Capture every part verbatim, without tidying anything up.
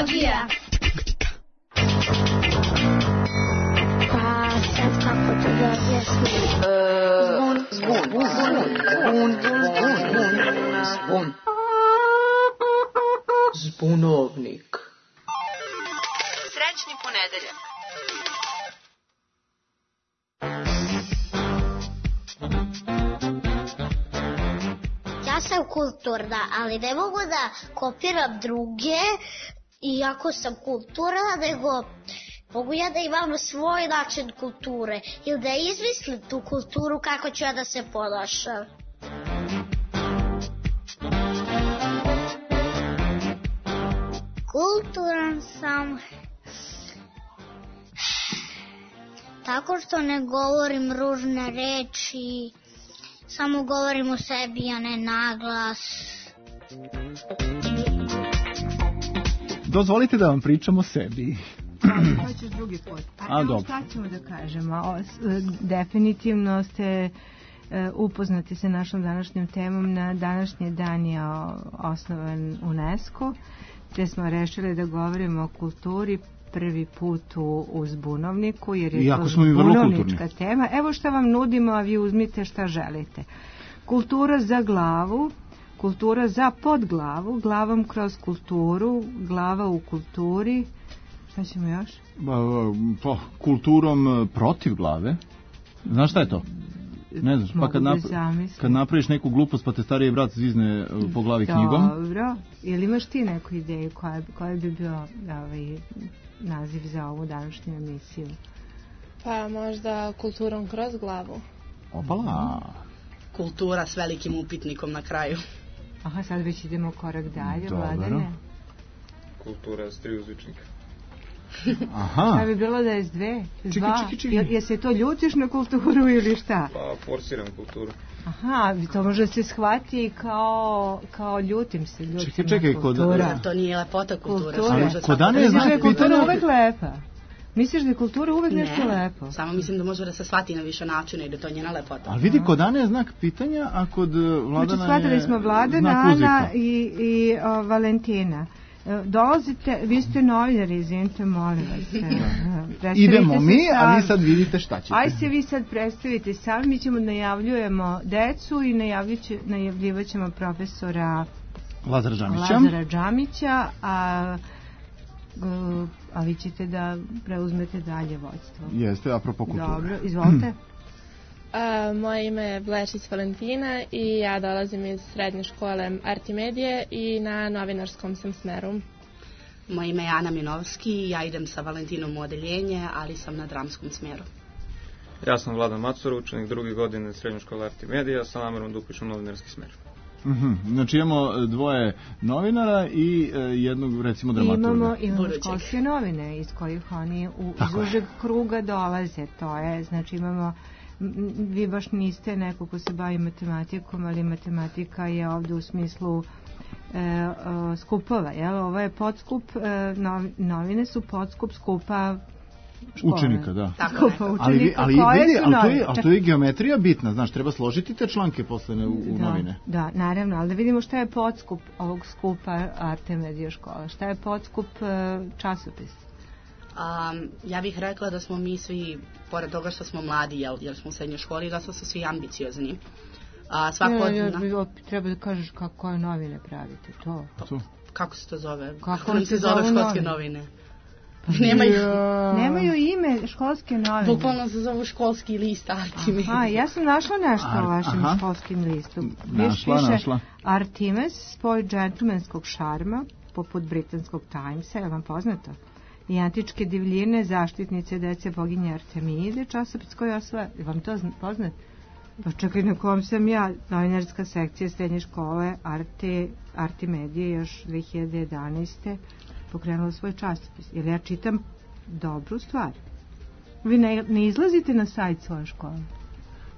Kulturologija. Pa sad kako to da objasnim? Zvon, zvon, zvon, zvon, zvon, zbunovnik. Srećni ponedeljak. Ja sam kulturna, ali ne mogu da kopiram druge, iako sam kulturna, nego mogu ja da imam svoj način kulture ili da izmislim tu kulturu kako ću ja da se ponašam. Kulturan sam tako što ne govorim ružne reči, samo govorim o sebi, a ne naglas. Dozvolite da vam pričam o sebi. Hoćeš drugi put. A, A dobro. šta ćemo da kažemo? O, s- definitivno ste e, upoznati sa našom današnjom temom. Na današnji dan je o, osnovan UNESCO, gde smo rešili da govorimo o kulturi prvi put u, u Zbunovniku, jer je Iako to smo mi vrlo zbunovnička kulturni. tema. Evo šta vam nudimo, a vi uzmite šta želite. Kultura za glavu, kultura za podglavu, glavom kroz kulturu, glava u kulturi. Šta ćemo još? Ba, pa, kulturom protiv glave. Znaš šta je to? Ne znaš, pa Mogu kad, da nap- zamislim. kad napraviš neku glupost pa te stariji brat zvizne e, po glavi knjigom. Dobro. Ili imaš ti neku ideju koja, koja bi bio ovaj, naziv za ovu današnju emisiju? Pa možda kulturom kroz glavu. Opala. Kultura s velikim upitnikom na kraju. Aha, sad već idemo korak dalje, Dobro. Vladane. Kultura s tri uzvičnika. Aha. Šta bi bilo da je s dve? S Čekaj, dva? čekaj, čekaj. Jel, jel se to ljutiš na kulturu ili šta? Pa forsiram kulturu. Aha, to može se shvati kao, kao ljutim se, ljutim Čekaj, na čekaj, kod- kultura. To nije lepota kulture. Kultura. samo Ali može kod svako Ane da je Misliš znak da je kultura pitanja- uvek lepa? Misliš da je kultura uvek nešto Ne, lepo? samo mislim da može da se shvati na više načina i da to je njena lepota. Ali vidi, kod Ane je znak pitanja, a kod e, Vladana Znači, je shvatili smo Vladana, znak Ana uzvika. i, i o, Valentina. E, Dolazite, vi ste novinari, izvinite, molim vas. E, predstavite Idemo se mi, a sami. vi sad vidite šta ćete. Aj se vi sad predstavite sami, mi ćemo najavljujemo decu i najavljuće- najavljivat ćemo profesora Lazara Džamića. Lazara Džamića, a, e, a vi ćete da preuzmete dalje vođstvo. Jeste, apropo kulture. Dobro, izvolite. A, moje ime je Blečić Valentina i ja dolazim iz srednje škole Artimedije i na novinarskom sam smeru. Moje ime je Ana Minovski, ja idem sa Valentinom u odeljenje, ali sam na dramskom smjeru. Ja sam Vladan Macor, učenik druge godine srednje škole Artimedija, sa namerom da upišem novinarski smer. Mhm. Znači imamo e, dvoje novinara i e, jednog, recimo, dramaturga. Imamo, imamo Budućeg. školske novine iz kojih oni u, iz Tako je. užeg kruga dolaze. To je, znači imamo, m, m, vi baš niste neko ko se bavi matematikom, ali matematika je ovdje u smislu e, o, skupova. Jel? Ovo je podskup, e, novi- novine su podskup skupa škole. Učenika, da. Tako Skupa je. učenika Ali, vi- ali, koje vidi, su ali, to je, novine. ali Čak- to je geometrija bitna, znaš, treba složiti te članke posle u, u Da, novine. da, naravno, ali da vidimo šta je podskup ovog skupa Artemedija škola. Šta je podskup e, časopis? Um, ja bih rekla da smo mi svi, pored toga što smo mladi, jel, jer smo u srednjoj školi, da su svi ambiciozni. A, svako od Ne, ja, na- ja, opet treba da kažeš kako, koje novine pravite, to. To. Kako se to zove? Kako nam se se zove zovu školske novine? novine? Nema ih. Nemaju ime školske novine. Bukvalno se zovu školski list Artemis. Aha, ja sam našla nešto Ar- o vašem aha. školskim listu. Našla, piše našla. Artemis, spoj džentlmenskog šarma, poput britanskog Timesa, je vam poznato? I antičke divljine, zaštitnice dece boginje Artemide, časopis koji osvaja. Je vam to zna- poznat? Pa čekaj, na kom sam ja, novinarska sekcija srednje škole Arte, Artimedije još dve hiljade jedanaeste pokrenula svoj časopis. Jer ja čitam dobru stvar. Vi ne, ne izlazite na sajt svoje škole?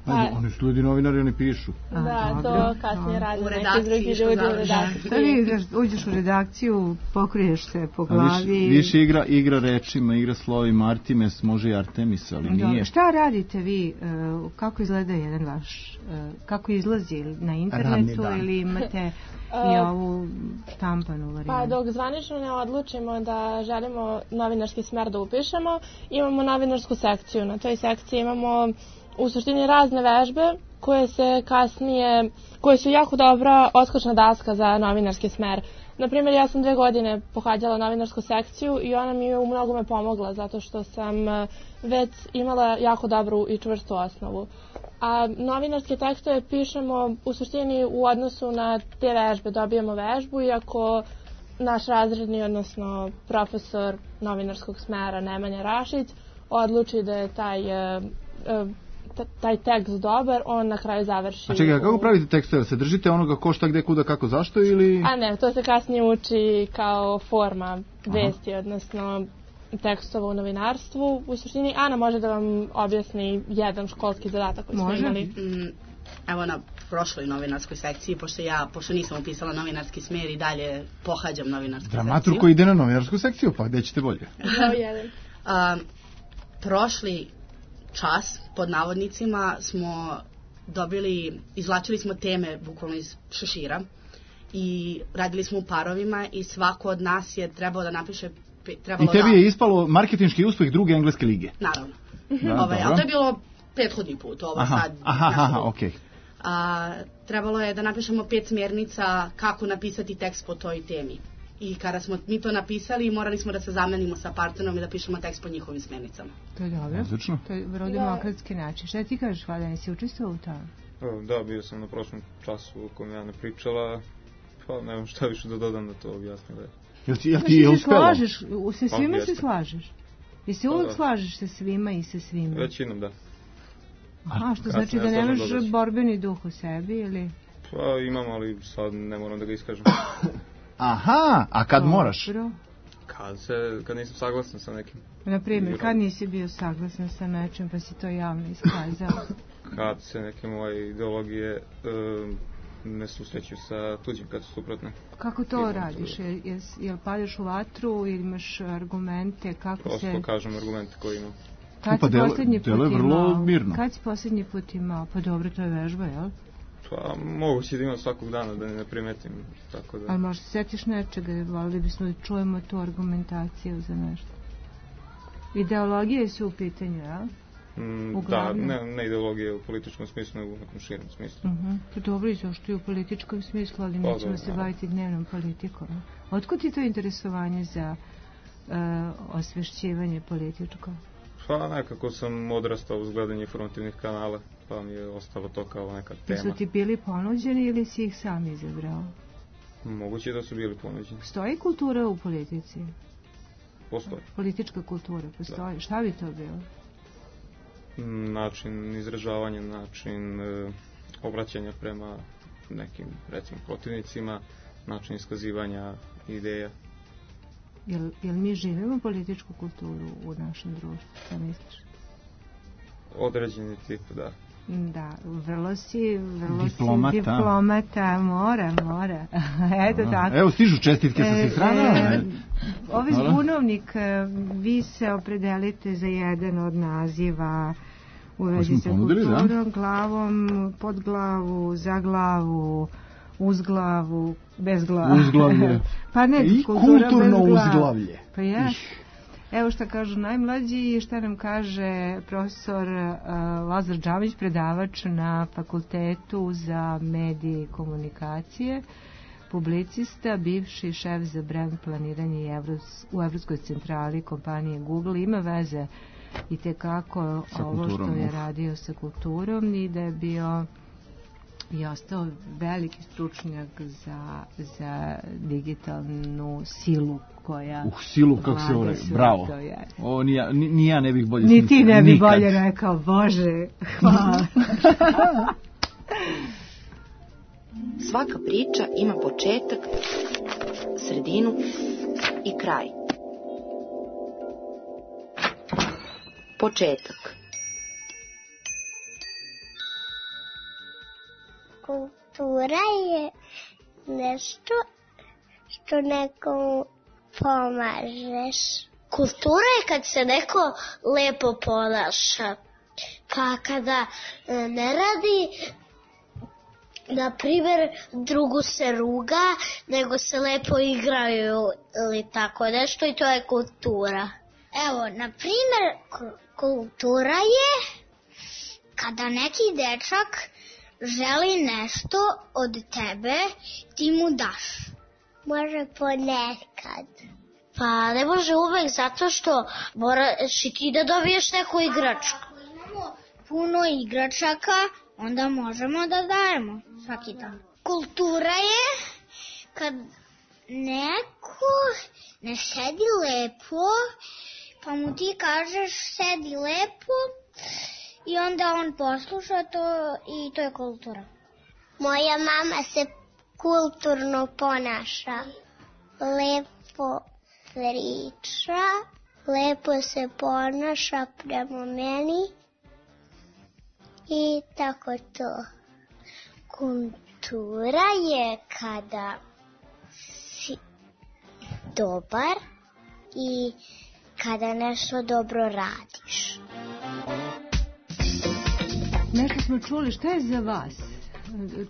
Ajde, oni su ljudi novinari, oni pišu. A, Da, dobro, to kasnije dobro. radi U neki redakciji drugi što ljudi u završi. redakciji. Sad ideš, uđeš u redakciju, pokriješ se po A glavi. Više, više igra, igra rečima, igra slovima, Artemis, može i Artemis, ali Dobro. nije. Šta radite vi? e, Kako izgleda jedan vaš, e, kako izlazi na internetu Radni dan. ili imate i ovu štampanu varijantu? Pa dok zvanično ne odlučimo da želimo novinarski smer da upišemo, imamo novinarsku sekciju. Na toj sekciji imamo u suštini razne vežbe koje se kasnije, koje su jako dobra odskočna daska za novinarski smer. Naprimjer, ja sam dve godine pohađala novinarsku sekciju i ona mi je u mnogome pomogla zato što sam već imala jako dobru i čvrstu osnovu. A novinarske tekstove pišemo u suštini u odnosu na te vežbe. Dobijemo vežbu i ako naš razredni, odnosno profesor novinarskog smera Nemanja Rašić odluči da je taj, taj tekst dobar, on na kraju završi. A čekaj, kako pravite tekstove? Se držite onoga ko šta, gde, kuda, kako, zašto ili... A ne, to se kasnije uči kao forma vesti, Aha. odnosno tekstova u novinarstvu. U suštini Ana može da vam objasni jedan školski zadatak koji smo imali. Mm, evo na prošloj novinarskoj sekciji, pošto ja, pošto nisam upisala novinarski smer i dalje pohađam novinarsku sekciju. Dramatur koji ide na novinarsku sekciju, pa gde ćete bolje? um, prošli čas, pod navodnicima, smo dobili, izvlačili smo teme bukvalno iz šešira i radili smo u parovima i svako od nas je trebao da napiše. I tebi je ispalo marketinški uspeh druge engleske lige. Naravno. Da, ovaj, ali to je bilo prethodni put, ovo aha, sad. Aha, aha, okej. Okay. Trebalo je da napišemo pet smjernica kako napisati tekst po toj temi. I kada smo mi to napisali, morali smo da se zamenimo sa partnerom i da pišemo tekst po njihovim smjernicama. To je dobro. Odlično. To je vrlo demokratski način. Šta ti kažeš, Vladan, nisi učestvovao u tome? Da, bio sam na prošlom času u kojem ja ne pričala, pa nemam šta više da dodam da to objasnim. Jel ti, jel ti je uspelo? Slažeš, sa svima se slažeš? Jel se uvijek slažeš sa svima i sa svima? Većinom, da. Aha, što znači da nemaš borbeni duh u sebi ili? Pa imam, ali sad ne moram da ga iskažem. Aha, a kad moraš? Kad, se, kad nisam saglasan sa nekim. Naprimjer, kad nisi bio saglasan sa nečim pa si to javno iskazao? Kad se neke moje ideologije um, ne susreću sa tuđim, kad su suprotne. Kako to radiš? Jel, jel, jel padaš u vatru ili imaš argumente? Kako Prosto se... kažem argumente koje imam. Kad pa si posljednji put imao? Mirno. Kad si posljednji put imao? Pa dobro, to je vežba, jel? Pa moguće da imam svakog dana da ne primetim. Tako da... Ali možda se sjetiš nečega, volili bismo da čujemo tu argumentaciju za nešto. Ideologije su u pitanju, jel? Mm, da, ne, ne ideologije u političkom smislu, nego u nekom širem smislu. Uh-huh. Pa dobro, i zašto je u političkom smislu, ali nećemo pa, se baviti dnevnom politikom. Otkud ti to interesovanje za uh, osvešćivanje političko? Pa nekako sam odrastao uz gledanje informativnih kanala, pa mi je ostalo to kao neka tema. Su ti bili ponuđeni ili si ih sam izabrao? Moguće da su bili ponuđeni. Postoji kultura u politici? Postoji. Politička kultura postoji. Da. Šta bi to bilo? Način izražavanja, način e, obraćanja prema nekim, recimo, protivnicima, način iskazivanja ideja. Jel, jel mi živimo političku kulturu u našem društvu, šta misliš? Određeni tip, da. Da, vrlo si, vrlo diplomata. si diplomata, mora, mora. Eto Aha. tako. Evo stižu čestitke sa svih strana. E, Ovi zbunovnik, vi se opredelite za jedan od naziva u vezi sa kulturom, da? Glavom, pod glavu, za glavu, uz glavu, bez glavu. Uzglavlje. Pa ne, i kultura kulturno bez glavu. uzglavlje. Pa je. Evo šta kažu najmlađi i šta nam kaže profesor uh, Lazar Džamić, predavač na Fakultetu za medije i komunikacije, publicista, bivši šef za brand planiranje Evros, u Evropskoj centrali kompanije Google. Ima veze i tekako ovo što je radio sa kulturom i da je bio i ostao veliki stručnjak za, za digitalnu silu koja... Uh, silu, kako se ovo rekao, bravo. O, ni, ja, ni, ni ja ne bih bolje... Ni ti ne bih bolje rekao, Bože, hvala. Svaka priča ima početak, sredinu i kraj. Početak. Kultura je nešto što nekom pomažeš. Kultura je kad se neko lepo ponaša. Pa kada ne radi na primjer, drugu se ruga, nego se lepo igraju ili tako nešto i to je kultura. Evo, na primjer, kultura je kada neki dečak želi nešto od tebe, ti mu daš. Može ponekad. Pa ne može uvek, zato što moraš i ti da dobiješ neku igračku. Ako imamo puno igračaka, onda možemo da dajemo svaki dan. Kultura je kad neko ne sedi lepo, pa mu ti kažeš sedi lepo i onda on posluša to i to je kultura. Moja mama se kulturno ponaša, lepo priča, lepo se ponaša prema meni i tako to. Kultura je kada si dobar i kada nešto dobro radiš. Nešto smo čuli, šta je za vas?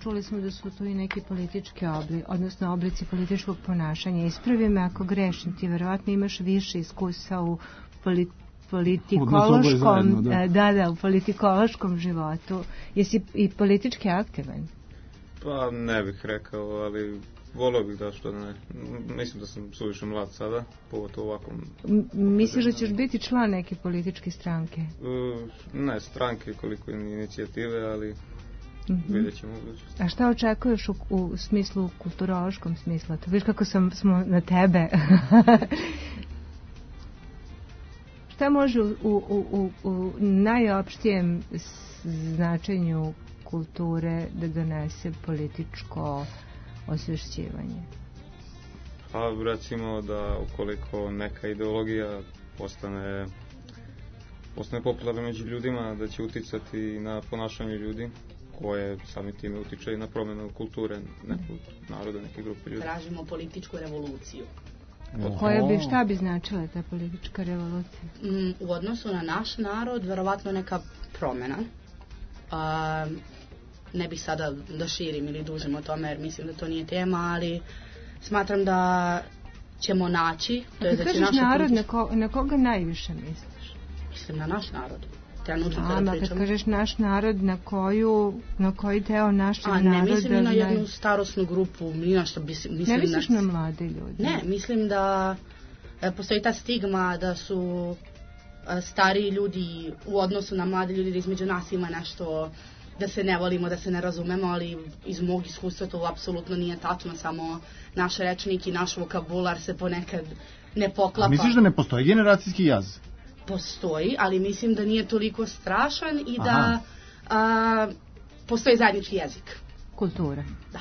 Čuli smo da su to i neki politički obli, odnosno oblici političkog ponašanja. Ispravi me ako grešim, ti verovatno imaš više iskusa u poli, politikološkom, zajedno, da. da, da, u politikološkom životu. Jesi i politički aktivan? Pa ne bih rekao, ali volio bih da što ne. Mislim da sam suviše mlad sada, pogotovo ovakvom... M- misliš da ćeš biti član neke političke stranke? Uh, ne stranke koliko inicijative, ali mm-hmm. vidjet ćemo budućnosti. A šta očekuješ u, u smislu, kulturološkom smislu? To viš kako sam, smo na tebe. Šta može u, u, u, u najopštijem značenju kulture da donese političko osvješćivanje? Pa recimo da ukoliko neka ideologija postane postane popularna među ljudima, da će uticati na ponašanje ljudi, koje sami time utiče i na promjenu kulture nekog naroda, neke grupe ljudi. Tražimo političku revoluciju. Koja bi, šta bi značila ta politička revolucija? Mm, u odnosu na naš narod, verovatno neka promjena. A, ne bih sada da širim ili dužim o tome, jer mislim da to nije tema, ali smatram da ćemo naći... To je da kažeš narod, politič... na, ko, na koga najviše misliš? Mislim na naš narod. A, kad kažeš naš narod, na koju, na koji deo našeg naroda... A ne mislim ni na jednu naj... starosnu grupu, ni na što mislim... Ne misliš na, na mlade ljudi? Ne, mislim da e, postoji ta stigma da su e, stariji ljudi u odnosu na mlade ljudi, da između nas ima nešto, da se ne volimo, da se ne razumemo, ali iz mog iskustva to apsolutno nije tačno, samo naš rečnik i naš vokabular se ponekad ne poklapa. A misliš da ne postoji generacijski jaz? Postoji, ali mislim da nije toliko strašan i da a, postoji zajednički jezik. Kultura. Da.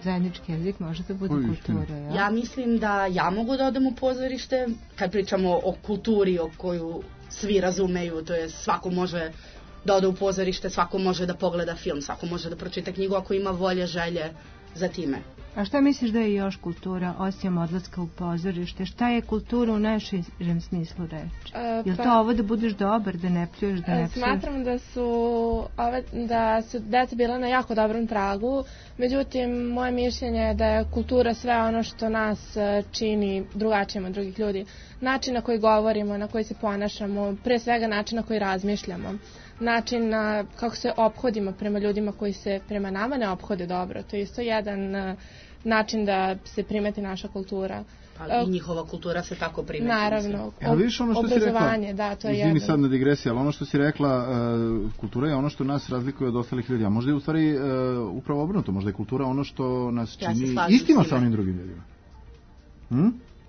Zajednički jezik može da bude Uj, kultura, ja? Ja mislim da ja mogu da odem u pozorište, kad pričamo o kulturi o koju svi razumeju, to je svako može da ode u pozorište, svako može da pogleda film, svako može da pročita knjigu ako ima volje, želje za time. A šta misliš da je još kultura, osim odlaska u pozorište? Šta je kultura u najširem smislu reči? E, pa, je li to ovo da budeš dobar, da ne pljuješ, da ne pljuješ? Smatram da su, ove, da su deca bila na jako dobrom tragu, međutim, moje mišljenje je da je kultura sve ono što nas čini drugačijim od drugih ljudi. Način na koji govorimo, na koji se ponašamo, pre svega način na koji razmišljamo. Način na kako se ophodimo prema ljudima koji se prema nama ne ophode dobro. To je isto jedan način da se primeti naša kultura. Pa i njihova kultura se tako primeti. Naravno. Ja, vidiš ono što obrazovanje, si rekla, da, to je izvini jedno. sad na digresiji, ali ono što si rekla, uh, kultura je ono što nas razlikuje od ostalih ljudi. A možda je u stvari uh, upravo obrnuto, možda je kultura ono što nas čini ja istimo sa onim drugim ljudima. Hm?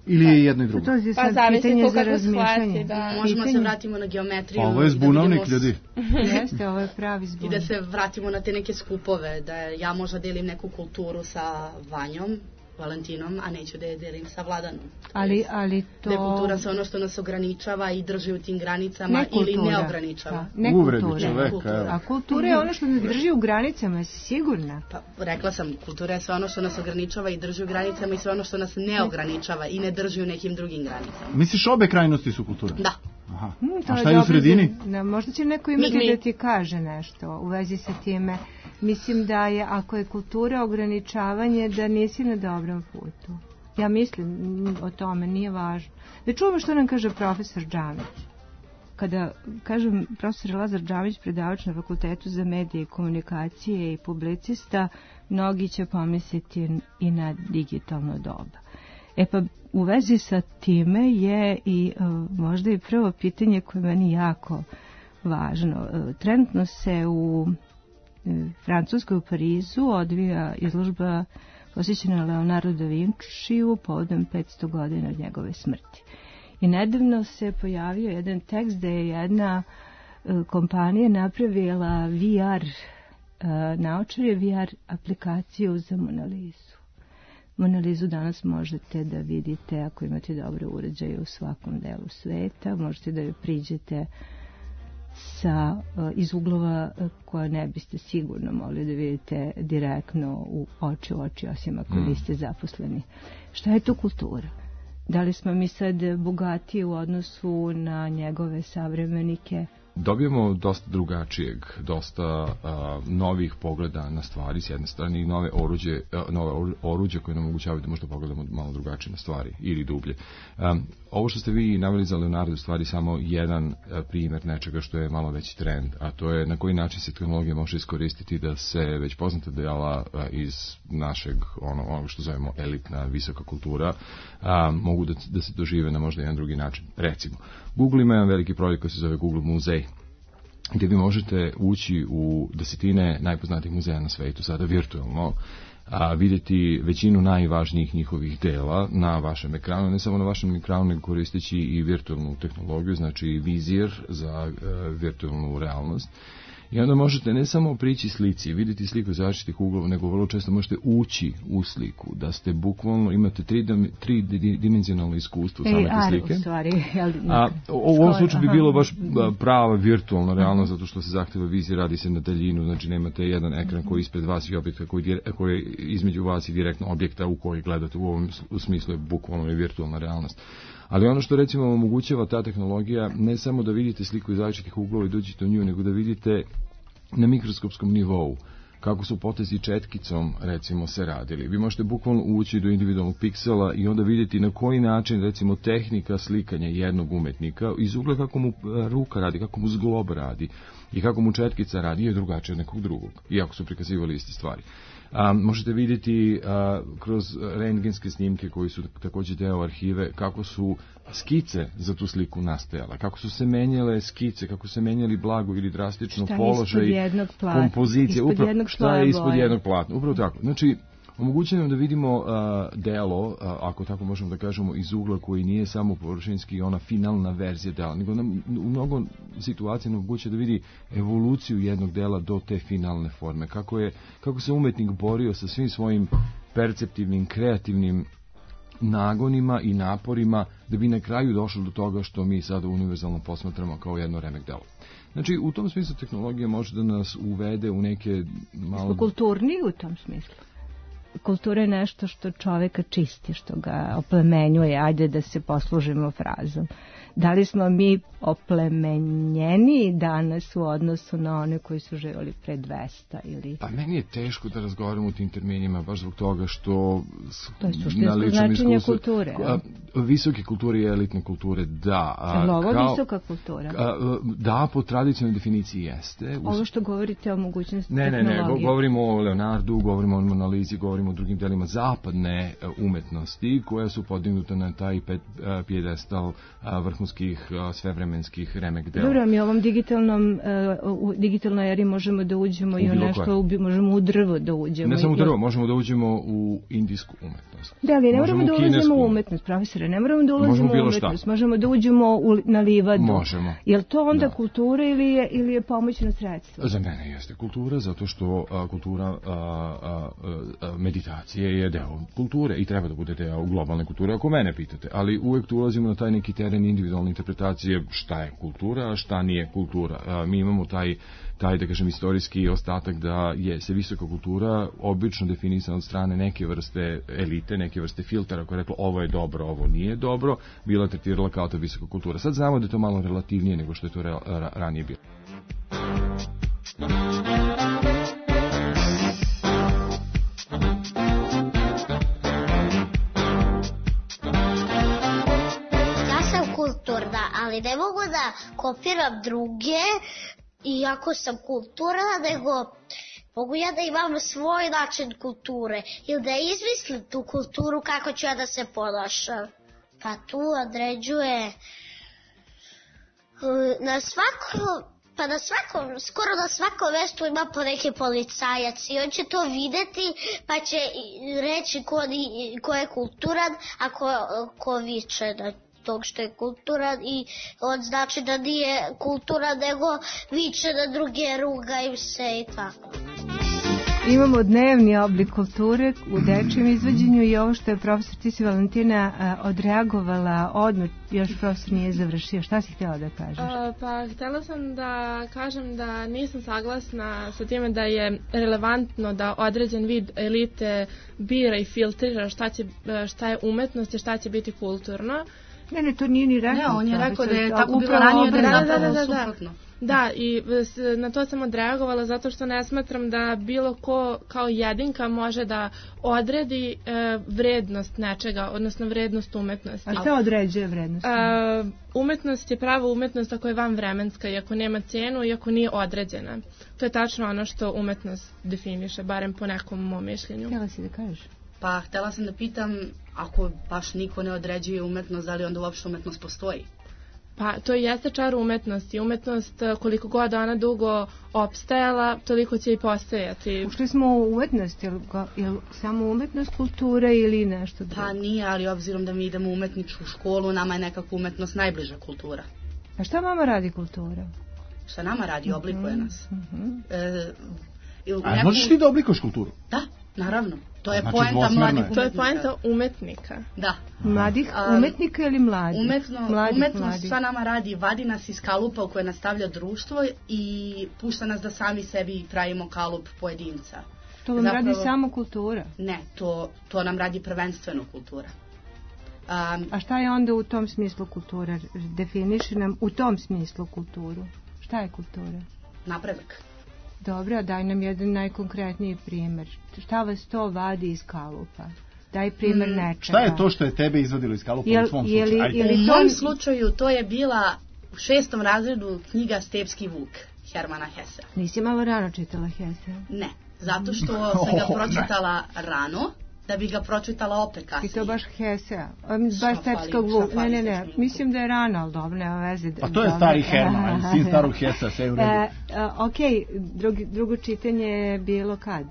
Ili je jedno i drugo? To je sad pa, pitanje za razmišljanje. Da. Možemo pitanje. Se vratimo na geometriju. Ovo je zbunovnik, da ljudi. Jeste, ovo je pravi zbunovnik. I da se vratimo na te neke skupove, da ja možda delim neku kulturu sa Vanjom, Valentinom, a neću da je delim sa Vladanom. Ali, ali to... Da je kultura se ono što nas ograničava i drži u tim granicama ne ili ne ograničava. Da, ne kultura. Ne kultura. A kultura je ono što nas drži u granicama, jesi sigurna? Pa, rekla sam, kultura je sve ono što nas ograničava i drži u granicama i sve ono što nas ne ograničava i ne drži u nekim drugim granicama. Misliš obe krajnosti su kultura? Da. Aha. Hmm, a šta je u sredini? Da, možda će neko imati mi, mi. da ti kaže nešto u vezi sa time. Mislim da je, ako je kultura ograničavanje, da nisi na dobrom putu. Ja mislim o tome, nije važno. Da čujemo što nam kaže profesor Džamić. Kada kažem profesor Lazar Džamić, predavač na Fakultetu za medije i komunikacije i publicista, mnogi će pomisliti i na digitalno doba. E pa u vezi sa time je i možda i prvo pitanje koje meni jako važno. Trenutno se u Francuskoj, u Parizu, odvija izložba posvećena Leonardo da Vinciju povodom petsto godina od njegove smrti. I nedavno se pojavio jedan tekst da je jedna kompanija napravila V R naočare, V R aplikaciju za Mona Lisu. Mona Lisu danas možete da vidite ako imate dobre uređaje u svakom delu sveta, možete da joj priđete sa, iz uglova koje ne biste sigurno mogli da vidite direktno u oči u oči, osim ako mm. niste zaposleni. Šta je to kultura? Da li smo mi sad bogatiji u odnosu na njegove savremenike? Dobijemo dosta drugačijeg, dosta a, novih pogleda na stvari s jedne strane i nove oruđe, a, nove oruđe koje nam omogućavaju da možda pogledamo malo drugačije na stvari ili dublje. A, ovo što ste vi naveli za Leonardo je stvari samo jedan a, primjer nečega što je malo veći trend, a to je na koji način se tehnologija može iskoristiti da se već poznata dela a, iz našeg ono, ono što zovemo elitna visoka kultura a, mogu da, da se dožive na možda jedan drugi način. Recimo, Google ima jedan veliki projekt koji se zove Google Muzej, gdje vi možete ući u desetine najpoznatijih muzeja na svetu, sada virtualno, a vidjeti većinu najvažnijih njihovih dela na vašem ekranu, ne samo na vašem ekranu, nego koristeći i virtualnu tehnologiju, znači vizir za uh, virtualnu realnost. I onda možete ne samo prići slici, vidjeti sliku iz različitih uglova, nego vrlo često možete ući u sliku, da ste bukvalno, imate tridimenzionalno iskustvo same te slike. U stvari, a u ovom slučaju bi bilo baš prava virtualna realnost, zato što se zahteva vizija, radi se na daljinu, znači nemate jedan ekran koji je ispred vas i objekta koji, koji je između vas i direktno objekta u koji gledate. U ovom smislu je bukvalno i virtualna realnost. Ali ono što recimo omogućava ta tehnologija, ne samo da vidite sliku iz različitih uglova i dođete u nju, nego da vidite na mikroskopskom nivou kako su potezi četkicom recimo se radili. Vi možete bukvalno ući do individualnog piksela i onda vidjeti na koji način recimo tehnika slikanja jednog umetnika iz ugla kako mu ruka radi, kako mu zglob radi i kako mu četkica radi je drugačije od nekog drugog, iako su prikazivali iste stvari. A, možete vidjeti a, kroz rentgenske snimke koji su također deo arhive kako su skice za tu sliku nastajala, kako su se menjale skice, kako se menjali blago ili drastično šta položaj kompozicije, upravo šta je ispod boje. Jednog platna, upravo tako. Znači, omogućuje nam da vidimo uh, delo, uh, ako tako možemo da kažemo, iz ugla koji nije samo površinski ona finalna verzija dela, nego nam u mnogo situacija omogućuje da vidi evoluciju jednog dela do te finalne forme, kako je kako se umetnik borio sa svim svojim perceptivnim, kreativnim nagonima i naporima da bi na kraju došlo do toga što mi sada univerzalno posmatramo kao jedno remek delo. Znači, u tom smislu tehnologija može da nas uvede u neke malo... Smo kulturni u tom smislu. Kultura je nešto što čoveka čisti, što ga oplemenjuje, ajde da se poslužimo frazom. Da li smo mi oplemenjeni danas u odnosu na one koji su živjeli pre dvesta ili... Pa meni je teško da razgovaramo u tim terminima, baš zbog toga što... To je suštinsko značenje kulture. A, visoke kulture i elitne kulture, da. A, je ovo kao, visoka kultura? A, da, po tradicionalnoj definiciji jeste. Ovo što govorite o mogućnosti ne, tehnologije. Ne, ne, govorimo o Leonardu, govorimo o Mona Lisi, govorimo o drugim delima zapadne umetnosti koja su podignuta na taj pijedestal vrhunskih svevremenskih remek dela. Dobro, mi u ovom digitalnom u digitalnoj eri možemo da uđemo u i u nešto, u, možemo u drvo da uđemo. Ne samo u drvo, možemo da uđemo u indijsku umetnost. Da, ali ne moramo da uđemo u umetnost, profesore, ne moramo da ulazimo u umetnost, šta. Možemo da uđemo u, na livadu. Možemo. Je li to onda da. kultura ili je, ili je pomoćno sredstvo? Za mene jeste kultura, zato što a, kultura a, a, a, meditacije je deo kulture i treba da bude deo globalne kulture, ako mene pitate. Ali uvek tu ulazimo na taj neki teren individualne interpretacije šta je kultura, a šta nije kultura. A, mi imamo taj, taj, da kažem, istorijski ostatak da je se visoka kultura obično definisana od strane neke vrste elite, neke vrste filtera koja je rekla ovo je dobro, ovo nije dobro, bila tretirala kao ta visoka kultura. Sad znamo da je to malo relativnije nego što je to ra, ra, ranije bilo. ali ne mogu da kopiram druge, iako sam kulturna, nego mogu ja da imam svoj način kulture ili da izmislim tu kulturu kako ću ja da se ponašam. Pa tu određuje na svako, pa na svakom, skoro na svakom mestu ima po neki policajac i on će to videti pa će reći ko, ko je kulturan, a ko, ko viče na tog što je kulturan i on znači da nije kulturan nego viče na druge, ruga im se i tako. Imamo dnevni oblik kulture u dečijem izvođenju i ovo što je profesor Tisi Valentina a, odreagovala odmah, još profesor nije završio. Šta si htjela da kažeš? A, pa htjela sam da kažem da nisam saglasna sa time da je relevantno da određen vid elite bira i filtrira šta, će, šta je umetnost i šta će biti kulturno. Ne, ne, to nije ni rekao. Ne, on je rekao da je tako bilo ranije, da je zapravo suprotno. Da, i na to sam odreagovala zato što ne smatram da bilo ko kao jedinka može da odredi e, vrednost nečega, odnosno vrednost umetnosti. A šta određuje vrednost? E, umetnost je prava umetnost ako je vanvremenska i ako nema cenu i ako nije određena. To je tačno ono što umetnost definiše, barem po nekom mom mišljenju. Htjela si da kažeš? Pa htjela sam da pitam, ako baš niko ne određuje umetnost, da li onda uopšte umetnost postoji? Pa to i jeste čar umetnosti. Umetnost, koliko god ona dugo opstajala, toliko će i postojati. Ušli smo u umetnost, je li, je li samo umetnost kultura ili nešto drugo? Pa nije, ali obzirom da mi idemo u umetničku školu, nama je nekako umetnost najbliža kultura. A šta mama radi kultura? Šta nama radi, oblikuje nas. Mm-hmm. e, A neku... možeš ti da oblikuješ kulturu? Da, naravno. To je znači, poenta mladih umetnika. To je poenta umetnika. Da. Mladih umetnika ili mladih? Umetno, mladih, umetnost mladih. šta nama radi, vadi nas iz kalupa u koje nastavlja društvo i pušta nas da sami sebi pravimo kalup pojedinca. To vam Zapravo, radi samo kultura? Ne, to, to nam radi prvenstveno kultura. Um, A šta je onda u tom smislu kultura? Definiši nam u tom smislu kulturu. Šta je kultura? Napredak. Dobro, daj nam jedan najkonkretniji primjer. Šta vas to vadi iz kalupa? Daj primjer nečega. Šta je to što je tebe izvadilo iz kalupa jel, u svom jeli, slučaju? Jeli u to... mom slučaju to je bila u šestom razredu knjiga Stepski vuk Hermana Hesse. Nisi malo rano čitala Hesse? Ne, zato što sam ga pročitala rano, da bi ga pročitala opet kasnije. I to baš Hesse, baš Stepskog vuk. Ne, ne, ne, mislim da je rano, ali dobro, nema veze. Pa to je stari Herman, sin starog Hessa, sve u redu. E, ok, drugi, drugo čitanje je bilo kad?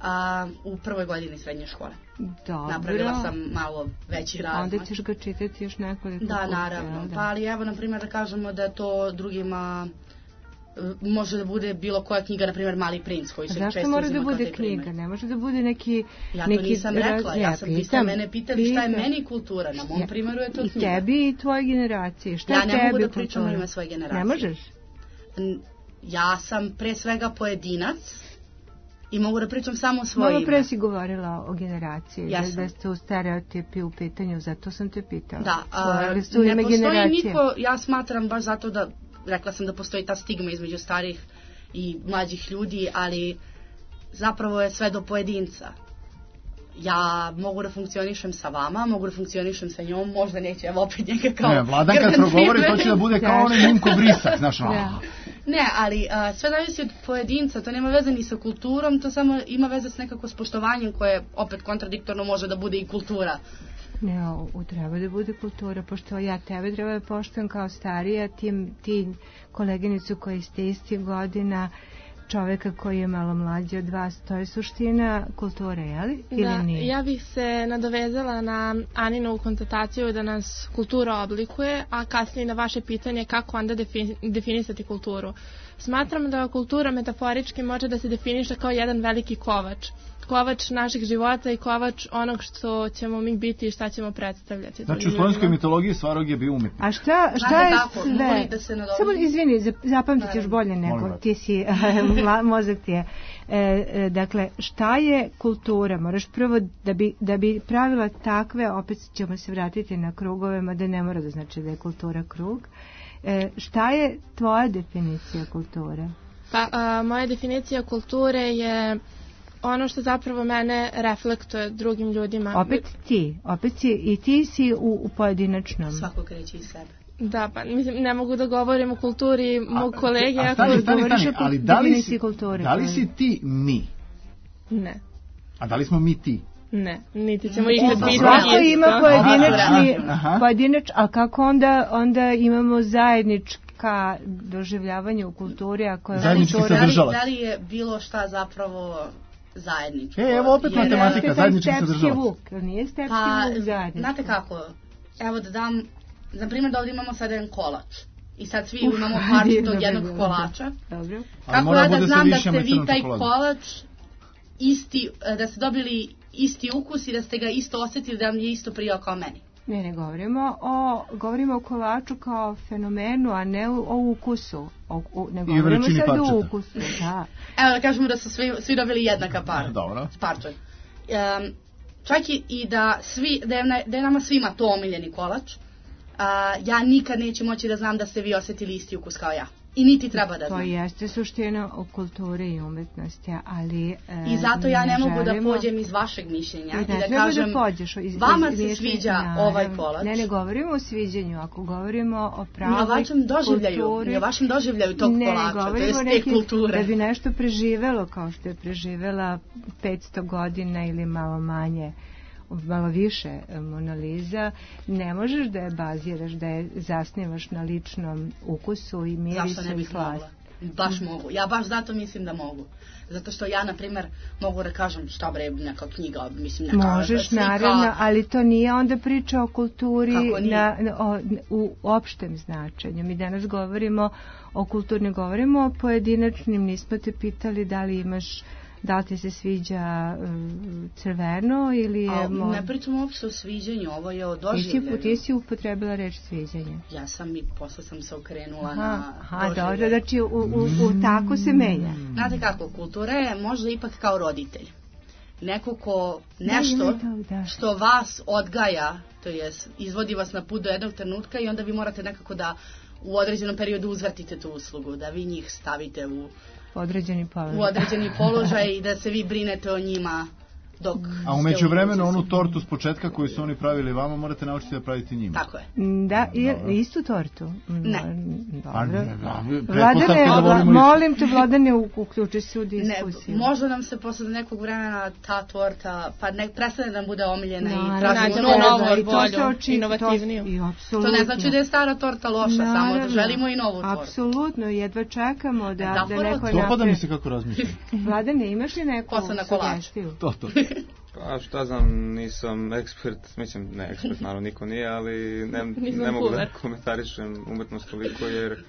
A, u prvoj godini srednje škole. Dobro. Napravila sam malo veći razmak. Onda ćeš ga čitati još nekoliko Da, puta, naravno. da. Pa ali evo, na primjer, da kažemo da to drugima može da bude bilo koja knjiga, na primjer Mali princ, koji se često uzima kao taj primjer. Zašto mora da bude knjiga? Ne može da bude neki... Ja to neki nisam rekla, ja sam, vi ste mene pitali šta je meni kultura, na mom primjeru je to knjiga. I tebi i tvoje generacije, šta ja je tebi kultura? Ja ne mogu da kultura? pričam u ime svoje generacije. Ne možeš? Ja sam pre svega pojedinac i mogu da pričam samo o svoje Malo ime. pre si govorila o generaciji, ja da, da ste u stereotipi u pitanju, zato sam te pitala. Da, a, ne postoji generacije. Niko, ja smatram baš zato da, rekla sam da postoji ta stigma između starih i mlađih ljudi, ali zapravo je sve do pojedinca. Ja mogu da funkcionišem sa vama, mogu da funkcionišem sa njom, možda neće, evo opet njega kao... Ne, Vladan kad progovori, to će da bude kao onaj Minko Brisak, znaš ono. Ne, ali a, sve zavisi od pojedinca, to nema veze ni sa kulturom, to samo ima veze s nekako s poštovanjem koje opet kontradiktorno može da bude i kultura. Ne, u treba da bude kultura, pošto ja tebe treba da poštujem kao starija, ti, ti koleginicu koji ste isti godina, čoveka koji je malo mlađi od vas, to je suština kulture, je li? Ili da, nije? Ja bih se nadovezala na Aninovu konstataciju da nas kultura oblikuje, a kasnije na vaše pitanje kako onda defini, definisati kulturu. Smatram da kultura metaforički može da se definiše kao jedan veliki kovač. Kovač naših života i kovač onog što ćemo mi biti i šta ćemo predstavljati. Znači u slovenskoj mitologiji Svarog je bio umetnik. A šta, šta je sve? Da Samo izvini, zapamtit ćeš bolje nego ti si, mozak ti je. E, e, dakle, šta je kultura? Moraš prvo da bi, da bi pravila takve, opet ćemo se vratiti na krugove, mada ne mora da znači da je kultura krug. E, šta je tvoja definicija kulture? Pa, a, moja definicija kulture je ono što zapravo mene reflektuje drugim ljudima. Opet ti, opet si, i ti si u, u pojedinačnom. Svako kreće iz sebe. Da, pa mislim, ne mogu da govorim o kulturi mog kolege. A stani, stani, stani, ali da li si, da li si ti mi? Ne. A da li smo mi ti? Ne, niti ćemo ih biti. Svako ima pojedinačni, pojedinač, a kako onda, onda imamo zajednička doživljavanje u kulturi, ako je zajednički sadržalac. Da li je bilo šta zapravo zajedničko? E, evo opet matematika, zajednički sadržalac. Nije stepski pa, vuk zajednički. Znate kako, evo da dam, na primjer da ovdje imamo sad jedan kolač. I sad svi imamo parču tog jednog kolača. Dobro. Kako ja da znam da ste vi taj kolač isti, da ste dobili isti ukus i da ste ga isto osjetili, da vam je isto prijao kao meni? Ne, ne govorimo o, govorimo o kolaču kao fenomenu, a ne o, o ukusu. O, o, ne govorimo sad o ukusu. Da. Evo da kažemo da su svi, svi dobili jednaka par. Dobro. Parča. Um, čak i, i da, svi, da, je, da je nama svima to omiljeni kolač, uh, ja nikad neću moći da znam da ste vi osjetili isti ukus kao ja. I niti treba da znam. To jeste suština o kulturi i umetnosti, ali... E, I zato ja ne, ne mogu želimo... da pođem iz vašeg mišljenja i, i da kažem, da pođeš, iz, vama iz, iz, se sviđa ja, ovaj kolač. Ne, ne govorimo o sviđanju, ako govorimo o pravoj kulturi... Mi o vašem doživljaju, mi o vašem doživljaju tog ne, kolača, to je te kulture. Da bi nešto preživelo kao što je preživela petsto godina ili malo manje, malo više Mona Lisa, ne možeš da je baziraš, da je zasnivaš na ličnom ukusu i mirisu i slastu. Baš mogu. Ja baš zato mislim da mogu. Zato što ja, na primjer, mogu da kažem šta bre, neka knjiga, mislim, neka možeš, slika. Naravno, ali to nije onda priča o kulturi na, o, u opštem značenju. Mi danas govorimo o kulturi, ne govorimo o pojedinačnim, nismo te pitali da li imaš, da li ti se sviđa uh, crveno ili je... A, mo... Ne pričamo uopšte o sviđanju, ovo je o doživljenju. Ti si upotrebila reč sviđanje. Ja sam i posle sam se okrenula aha, na aha, dobro, znači u, u, u tako se menja. Znate kako, kultura je možda ipak kao roditelj. Neko ko nešto da, da. što vas odgaja, to jest izvodi vas na put do jednog trenutka i onda vi morate nekako da u određenom periodu uzvratite tu uslugu, da vi njih stavite u određeni položaj. U određeni položaj i da se vi brinete o njima dok... A u međuvremenu onu tortu s početka koju su oni pravili vama morate naučiti da pravite njima. Tako je. Da, i, istu tortu? Ne. Dobro. Vladane, molim te, Vladane, uključi se u diskusiju. Ne, možda nam se posle nekog vremena ta torta, pa ne prestane da nam bude omiljena no, i tražimo novu, bolju, inovativniju. To, to ne znači da je stara torta loša, naravno, samo da želimo i novu tortu. Apsolutno, jedva čekamo da, da, da neko napravi. Dopada mi se kako razmišljam. Vladane, imaš li neku sugestiju? To, to. Pa šta znam, nisam ekspert, mislim, ne ekspert, naravno niko nije, ali ne, ne mogu da komentarišem umetnost toliko jer...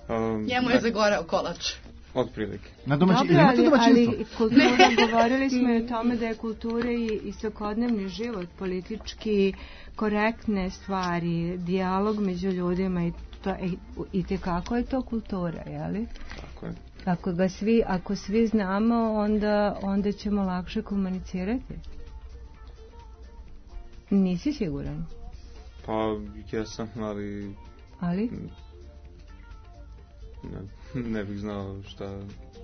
Um, Njemu je zagorao kolač. Otprilike. Na domaći, dobro, ali, ali kultura, govorili smo i o tome da je kultura i, i svakodnevni život, politički korektne stvari, dijalog među ljudima i, to, i, i tekako je to kultura, jeli? Tako je. Ako ga svi, ako svi znamo, onda, onda ćemo lakše komunicirati. Nisi siguran? Pa, jesam, ali... Ali? Ne, ne bih znao šta,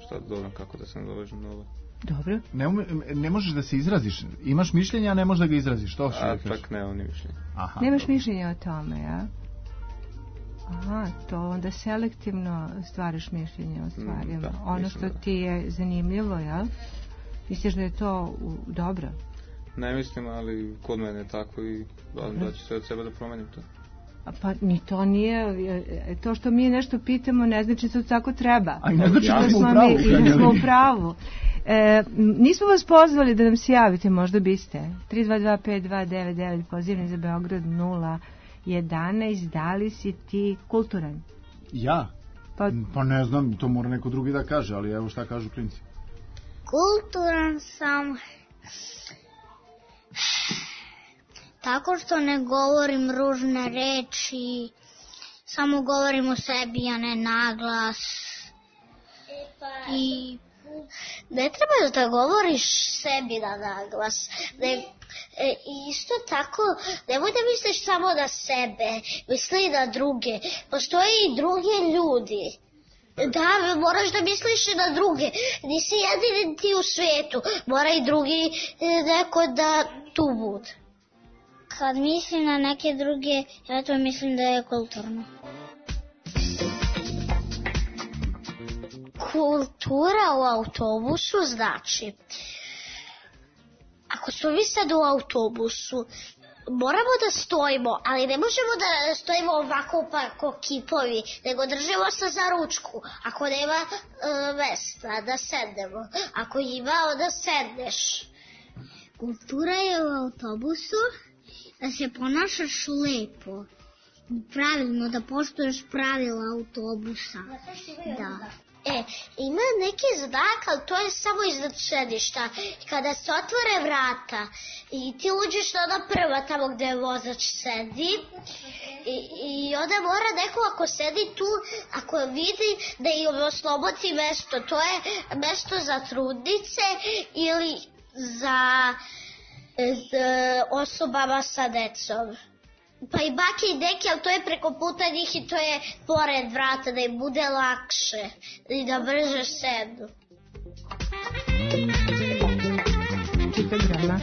šta dobro, kako da se nadovežem na ovo. Dobro. Ne, ume, ne možeš da se izraziš. Imaš mišljenja, a ne možeš da ga izraziš. To a tak ne, on je mišljenja. Aha, nemaš dobro. mišljenja o tome, ja? Aha, to onda selektivno stvaraš mišljenje o stvarima. Mm, da, ono što da. ti je zanimljivo, jel? Misliš da je to u, dobro? Ne mislim, ali kod mene je tako i da, da ću sve od sebe da promenim to. A pa ni to nije, to što mi nešto pitamo ne znači da to tako treba. A ne znači da smo u pravu. I da smo u pravu. E, nismo vas pozvali da nam se javite, možda biste. tri dva dva pet dva devet devet, pozivni za Beograd nula jedanaest, da li si ti kulturan? Ja? Pa, pa ne znam, to mora neko drugi da kaže, ali evo šta kažu klinci. Kulturan sam tako što ne govorim ružne reči, samo govorim o sebi, a ne naglas. I ne treba da govoriš sebi na naglas. Ne, e, isto tako, nemoj da misliš samo na sebe, misli i na druge. Postoje i drugi ljudi. Da, moraš da misliš i na druge. Nisi jedini ti u svijetu. Mora i drugi neko da tu bude. kad mislim na neke druge, ja to mislim da je kulturno. Kultura u autobusu znači, ako smo mi sad u autobusu, moramo da stojimo, ali ne možemo da stojimo ovako pa ko kipovi, nego držimo se za ručku. Ako nema e, mesta da sednemo, ako ima, onda sedneš. Kultura je u autobusu da se ponašaš lepo, pravilno, da poštuješ pravila autobusa. Da. E, ima neki znak, ali to je samo iznad sedišta. Kada se otvore vrata i ti uđeš na ona prva tamo gde vozač sedi i, i onda mora neko ako sedi tu, ako vidi da im oslobodi mesto, to je mesto za trudnice ili za, za osobama sa decom. Pa i bake i deke, ali to je preko puta njih i to je pored vrata, da im bude lakše i da brže sednu. Čita grana.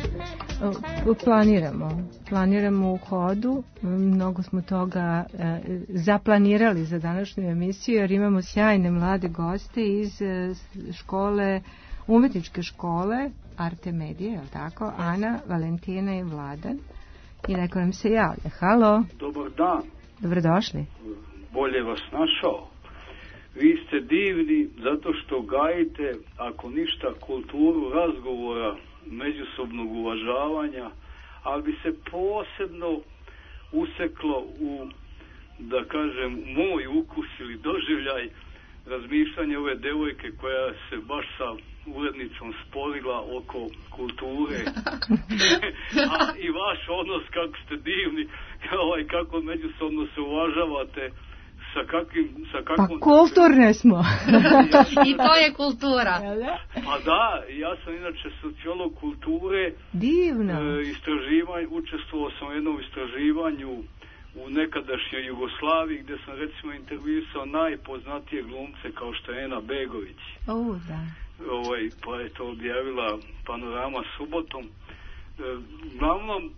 Planiramo. Planiramo u hodu. Mnogo smo toga e, zaplanirali za današnju emisiju, jer imamo sjajne mlade goste iz e, škole, umetničke škole Arte Medije, je li tako? Ana, Valentina i Vladan. I neko nam se javlja. Halo. Dobar dan. Dobrodošli. Bolje vas našao. Vi ste divni zato što gajite, ako ništa, kulturu razgovora, međusobnog uvažavanja, ali bi se posebno useklo u, da kažem, moj ukus ili doživljaj razmišljanja ove devojke koja se baš sa urednicom sporila oko kulture. A i vaš odnos, kako ste divni, ovaj, kako međusobno se uvažavate, sa kakvim... Sa kakvom... Pa kulturne smo. I to je kultura. Pa da, ja sam inače sociolog kulture. Divno. E, istraživanje, učestvovao sam u jednom istraživanju u nekadašnjoj Jugoslaviji, gdje sam recimo intervjuisao najpoznatije glumce kao što je Ena Begović. O, da. Ovaj, pa je to objavila Panorama subotom. E, glavnom, e,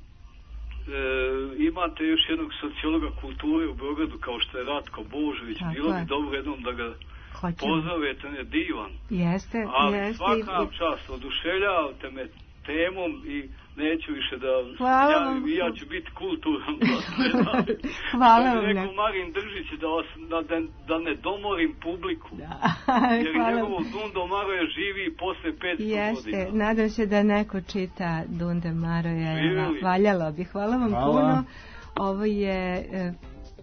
imate još jednog sociologa kulture u Beogradu kao što je Ratko Božović. Tako bilo je. Bi dobro jednom da ga Hoćemo. Pozovete, on je divan. Jeste, ali jeste. svaka vam čast, oduševljavate me temom i neću više da javim, ja ću biti kulturan. Hvala vam. Rekao Marin Držić da, vas, da, da ne domorim publiku. Da. Jer njegovo Dundo Maroja živi posle petsto Jeste. godina. Jeste, nadam se da neko čita Dunde Maroja. Valjalo bi. Hvala vam Hvala. puno. Ovo je e,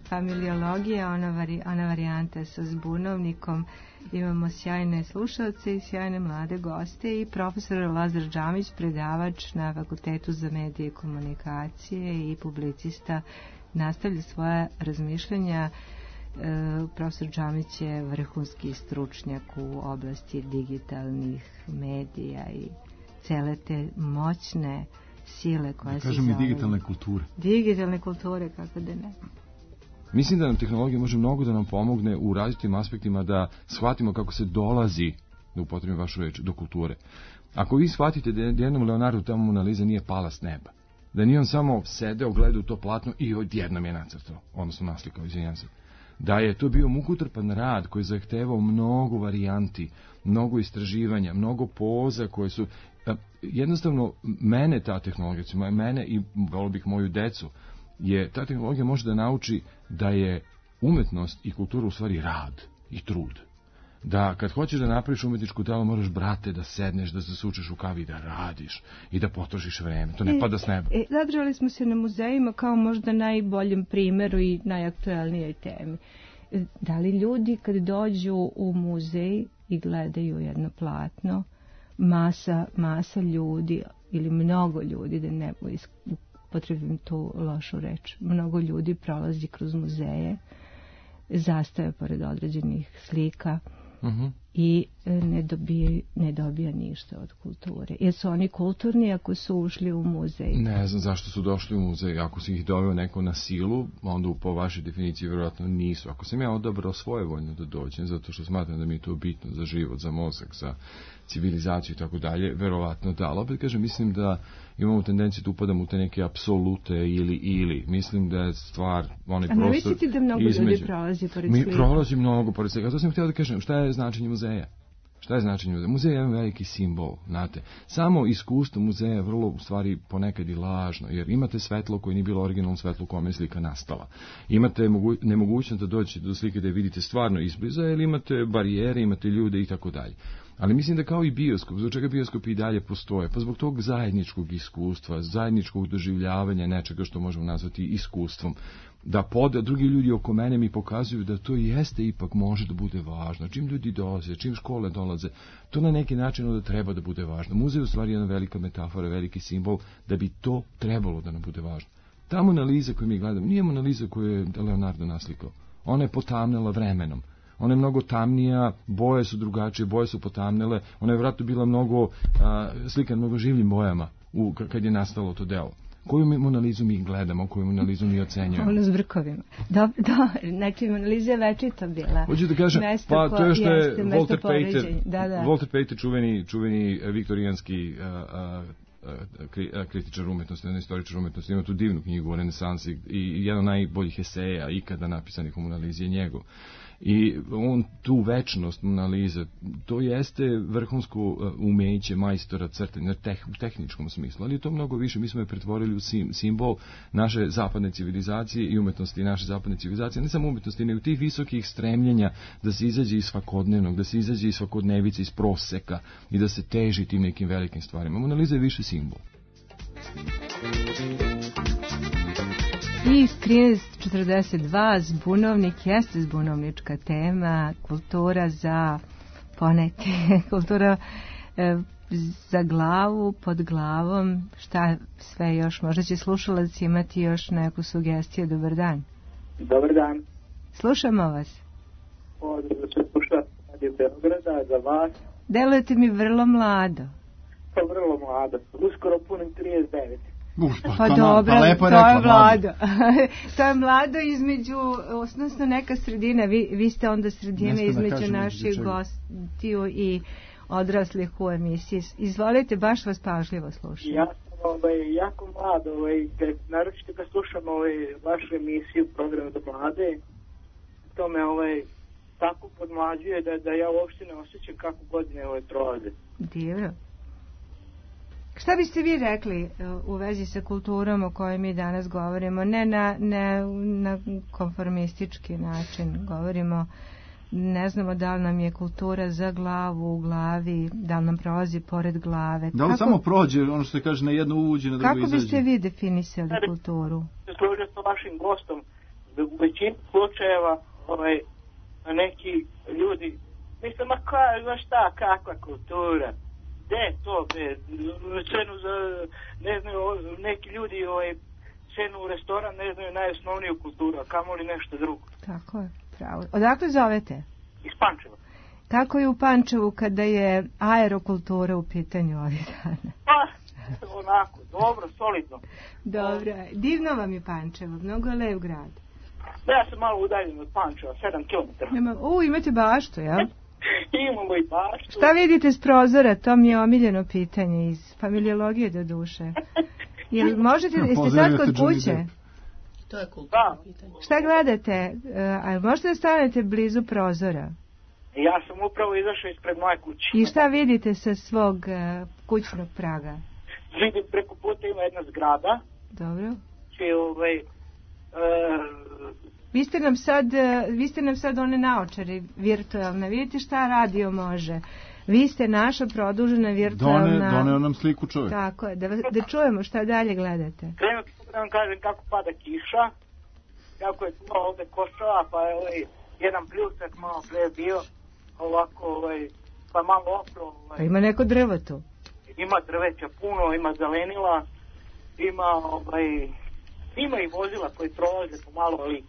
familiologija, ona, vari, ona varijanta sa zbunovnikom. Imamo sjajne slušalce i sjajne mlade goste i profesor Lazar Džamić, predavač na Fakultetu za medije i komunikacije i publicista, nastavlja svoja razmišljanja. E, profesor Džamić je vrhunski stručnjak u oblasti digitalnih medija i cele te moćne sile koje se kažem i digitalne kulture. Digitalne kulture, kako da ne. Mislim da nam tehnologija može mnogo da nam pomogne u različitim aspektima da shvatimo kako se dolazi, da upotrebim vašu reč, do kulture. Ako vi shvatite da jednom Leonardu tamo Mona Lisa nije pala s neba, da nije on samo sedeo, gledao to platno i odjednom je nacrtao, odnosno naslikao, izvinjam se, da je to bio mukotrpan rad koji je zahtevao mnogo varijanti, mnogo istraživanja, mnogo poza koje su, jednostavno, mene ta tehnologija, mene i volio bih moju decu, je ta tehnologija može da nauči da je umetnost i kultura u stvari rad i trud. Da kad hoćeš da napraviš umetničku delo moraš, brate, da sedneš, da se sučeš u kavi, da radiš i da potrošiš vreme. To ne e, pada s neba. E, zadržali smo se na muzejima kao možda najboljem primeru i najaktuelnijoj temi. Da li ljudi kad dođu u muzej i gledaju jedno platno, masa, masa ljudi ili mnogo ljudi, da ne potrebim tu lošu reč, mnogo ljudi prolazi kroz muzeje, zastaje pored određenih slika, uh-huh. i ne dobija, ne dobija ništa od kulture. Jer su oni kulturni ako su ušli u muzej? Ne znam zašto su došli u muzej. Ako si ih doveo neko na silu, onda po vašoj definiciji vjerojatno nisu. Ako sam ja odabrao svojevoljno da dođem, zato što smatram da mi je to bitno za život, za mozak, za civilizaciju i tako dalje, verovatno da. Ali opet kažem, mislim da imamo tendenciju da upadamo u te neke apsolute ili ili. Mislim da je stvar, onaj prostor između. A ne mislite da mnogo ljudi prolazi pored slika? Mi prolazi mnogo pored slika. To sam htio da kažem, šta je značenje muzeja? Šta je značenje muzeja? Muzej je jedan veliki simbol, znate. Samo iskustvo muzeja je vrlo, u stvari, ponekad i lažno, jer imate svetlo koje nije bilo originalno svetlo u kome je slika nastala. Imate mogu, nemogućnost da dođete do slike da je vidite stvarno izbliza, jer imate barijere, imate ljude i tako dalje. Ali mislim da kao i bioskop, zbog čega bioskop i dalje postoje? Pa zbog tog zajedničkog iskustva, zajedničkog doživljavanja nečega što možemo nazvati iskustvom. Da poda, drugi ljudi oko mene mi pokazuju da to jeste ipak može da bude važno. Čim ljudi dolaze, čim škole dolaze, to na neki način onda treba da bude važno. Muzej je u stvari jedna velika metafora, veliki simbol da bi to trebalo da nam bude važno. Ta Mona Lisa koju mi gledamo, nije Mona Lisa koju je Leonardo naslikao. Ona je potamnela vremenom. Ona je mnogo tamnija, boje su drugačije, boje su potamnele. Ona je vjerojatno bila mnogo a, slikan mnogo življim bojama u, kad je nastalo to delo. Koju mi Mona Lisu mi gledamo, koju Mona Lisu mi ocenjujemo? Ono s brkovima. Dobro, do, znači Mona Lisa je večito bila. Hoću da kažem, pa to je što je Walter Pater, da, da. Walter Pater, čuveni, čuveni viktorijanski a, a, a, kritičar umetnosti, jedan istoričar umetnosti, ima tu divnu knjigu o renesansi i jedan od najboljih eseja ikada napisanih u Mona Lisi je njegov. I on tu večnost Mona Lisa, to jeste vrhunsko umeće majstora crtanja teh, u tehničkom smislu, ali je to mnogo više. Mi smo je pretvorili u sim, simbol naše zapadne civilizacije i umetnosti naše zapadne civilizacije, ne samo umetnosti, nego tih visokih stremljenja da se izađe iz svakodnevnog, da se izađe iz svakodnevice, iz proseka i da se teži tim nekim velikim stvarima. Mona Lisa je više simbol. I trinaest četrdeset dva, zbunovnik jeste zbunovnička tema, kultura za poneti, kultura e, za glavu, pod glavom, šta sve još, možda će slušalac imati još neku sugestiju. Dobar dan. Dobar dan. Slušamo vas. Ovdje se sluša Radio Beograda za vas. Delujete mi vrlo mlado. Pa vrlo mlado, uskoro punim trideset devet. Uf, pa, pa to dobro, pa lepo to rekla, je mlado. To je mlado između, osnovno neka sredina, vi, vi ste onda sredina između naših gostiju i odraslih u emisiji. Izvolite, baš vas pažljivo slušam. Ja sam ovaj, jako mlad, ovaj, naročito kad slušam ovaj, vašu emisiju, program za mlade, to me ovaj, tako podmlađuje da, da ja uopšte ne osjećam kako godine ovaj, prolaze. Divno. Šta biste vi rekli u vezi sa kulturom o kojoj mi danas govorimo? Ne na, ne na konformistički način. Govorimo, ne znamo da li nam je kultura za glavu, u glavi, da li nam prolazi pored glave. Da li kako, samo prođe, ono što se kaže, na jedno uđe, na drugo kako izađe? Kako biste vi definisali kulturu? Složio sa vašim gostom, da u većini slučajeva ovaj, neki ljudi, mislim, ma ka, znaš šta, kakva kultura? De, to, be, cenu za, ne znaju, neki ljudi ovaj, cenu u restoran ne znaju najosnovniju kulturu, a kamoli nešto drugo. Tako je, pravo. Odakle zovete? Iz Pančeva. Kako je u Pančevu kada je aerokultura u pitanju ovih dana? Pa, onako, dobro, solidno. Dobro, divno vam je Pančevo, mnogo je lep grad. Ja sam malo udaljen od Pančeva, sedam kilometara. U, imate baštu, jel? Imamo i baštu. Šta vidite s prozora? To mi je omiljeno pitanje iz familiologije do duše. Jel možete, jeste sad kod kuće? To je kulturno pitanje. Šta gledate? A možete da stanete blizu prozora? Ja sam upravo izašao ispred moje kuće. I šta vidite sa svog uh, kućnog praga? Vidim preko puta ima jedna zgrada. Dobro. Čije ovaj... Uh, Vi ste nam sad, vi ste nam sad one naočare virtualne. Vidite šta radio može. Vi ste naša produžena virtualna... Done, doneo nam sliku čovjek. Tako je, da, da čujemo šta dalje gledate. Krenuo da vam kažem kako pada kiša, kako je to ovde košava, pa je ovaj, jedan pljusak malo pre bio, ovako, ovaj, pa malo opro. Ovaj. Pa ima neko drvo tu? Ima drveća puno, ima zelenila, ima, ovaj, ima i vozila koji prolaze pomalo, ali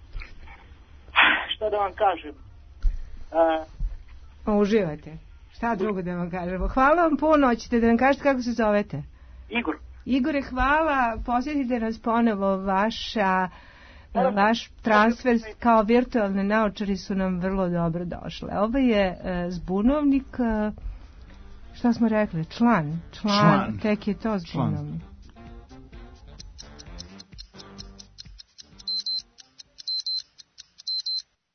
šta da vam kažem, uh, Uživate. Šta drugo da vam kažemo? Hvala vam puno, hoćete da nam kažete kako se zovete? Igor. Igore, hvala, posjetite nas ponovo, vaša, vaš transfer kao virtualne naočari su nam vrlo dobro došle. Ovo je zbunovnik, šta smo rekli, član, član, član. Tek je to zbunovnik.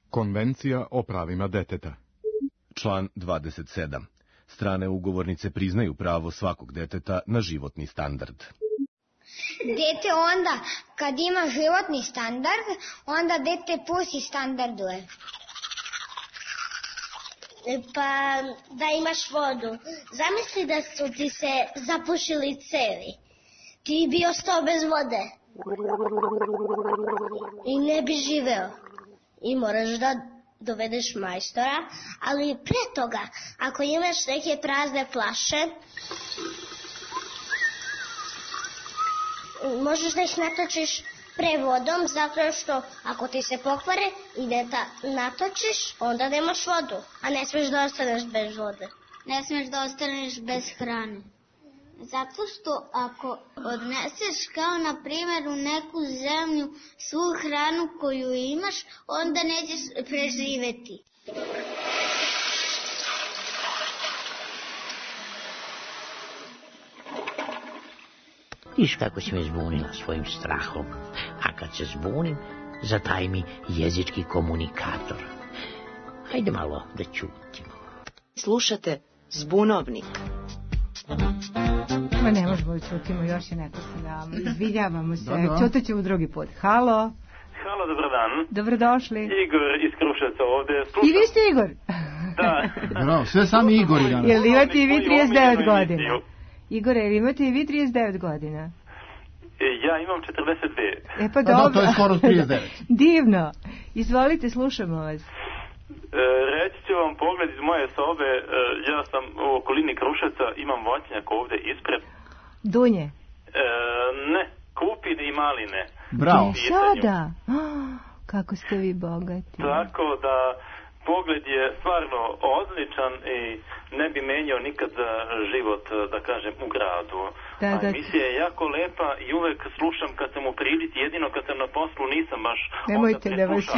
Konvencija o pravima deteta. Član dvadeset sedam. Strane ugovornice priznaju pravo svakog deteta na životni standard. Dete onda, kad ima životni standard, onda dete pusi standarduje. Pa da imaš vodu. Zamisli da su ti se zapušili cevi. Ti bi ostao bez vode. I ne bi živeo. I moraš da dovedeš majstora, ali pre toga, ako imaš neke prazne flaše, možeš da ih natočiš pre vodom, zato što ako ti se pokvare i da natočiš, onda nemaš vodu, a ne smiješ da ostaneš bez vode. Ne smiješ da ostaneš bez hrane. Zato što ako odneseš kao na primjer u neku zemlju svu hranu koju imaš, onda nećeš preživeti. Viš kako si me zbunila svojim strahom, a kad se zbunim, zataj mi jezički komunikator. Hajde malo da ćutimo. Slušate Zbunovnik. Ma ne možemo da čutimo, još je neko sa nama. Izvinjavamo se, čutat ćemo drugi put. Halo. Halo, dobar dan. Dobrodošli. Igor iz Kruševca ovde. Slušam. I vi ste Igor? Da. Bravo, sve sami Igori danas. Jel imate i vi trideset devet godina? Igore, jel imate i vi trideset devet godina? Ja imam četrdeset pet. E pa dobro. Da, to je skoro trideset devet. Divno. Izvolite, slušamo vas. E, reći ću vam pogled iz moje sobe, e, ja sam u okolini Kruševca, imam voćnjak ovde ispred. Dunje? E, ne, kupine i maline. Bravo. Sada? Oh, kako ste vi bogati. Tako da pogled je stvarno odličan i ne bi menjao nikad za život, da kažem, u gradu. Da, da. A emisija je jako lepa i uvek slušam kad sam u prilici, jedino kad sam na poslu nisam baš nemojte, onda preslušao.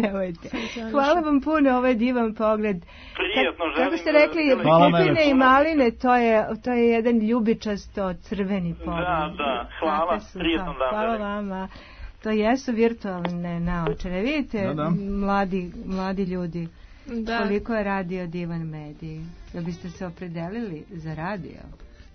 Nemojte, nemojte. Hvala vam puno, ovo je divan pogled. Prijetno želim. Kako ste rekli, kupine i maline, to je, to je jedan ljubičasto crveni pogled. Da, da, hvala, prijetno dan. Hvala vama. To jesu virtualne naočare. Vidite, da, da. Mladi, mladi ljudi, da. Koliko je radio divan medij. Da biste se opredelili za radio?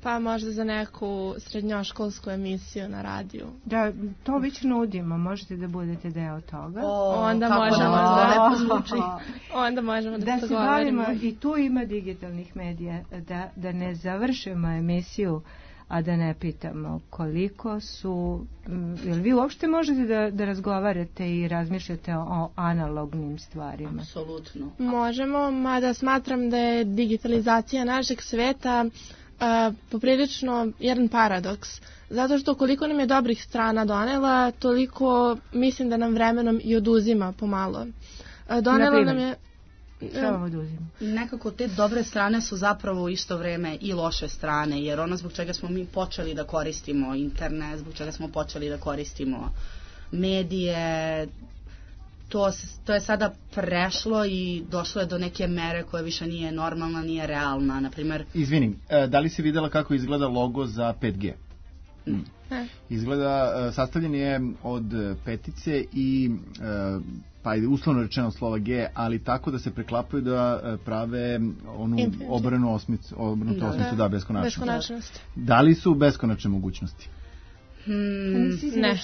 Pa možda za neku srednjoškolsku emisiju na radiju. Da, to već nudimo. Možete da budete deo toga. O, onda možemo da, da, onda možemo da, da se bavimo. I tu ima digitalnih medija. Da, da ne završimo emisiju a da ne pitamo koliko su, jel vi uopšte možete da, da razgovarate i razmišljate o analognim stvarima? Apsolutno. Možemo, mada smatram da je digitalizacija našeg sveta a, poprilično jedan paradoks. Zato što koliko nam je dobrih strana donela, toliko mislim da nam vremenom i oduzima pomalo. A, donela nam je... Šta vam oduzima? Nekako te dobre strane su zapravo u isto vreme i loše strane, jer ono zbog čega smo mi počeli da koristimo internet, zbog čega smo počeli da koristimo medije, to, to je sada prešlo i došlo je do neke mere koja više nije normalna, nije realna. Naprimer... Izvinim, da li si videla kako izgleda logo za pet G? Hmm. Izgleda, sastavljen je od petice i pa je uslovno rečeno slova G, ali tako da se preklapaju da prave onu obranu osmicu, obrnutu da, osmicu, da, beskonačnost. beskonačnost. Da li su beskonačne mogućnosti? Hmm, ne,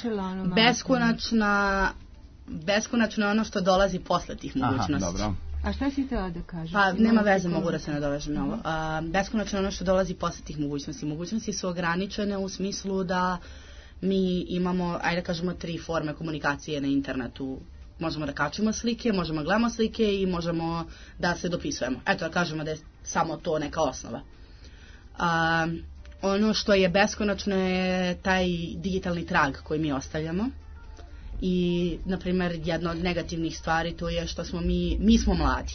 beskonačna, beskonačno je ono što dolazi posle tih mogućnosti. Aha, dobro. A šta si htjela da kažeš? Pa nema veze, mogu da se nadovežem na ovo. Beskonačno je ono što dolazi posle tih mogućnosti. Mogućnosti su ograničene u smislu da mi imamo, ajde da kažemo, tri forme komunikacije na internetu. Možemo da kačimo slike, možemo da gledamo slike i možemo da se dopisujemo. Eto da kažemo da je samo to neka osnova. A, ono što je beskonačno je taj digitalni trag koji mi ostavljamo. I, na primjer, jedna od negativnih stvari to je što smo mi, mi smo mladi.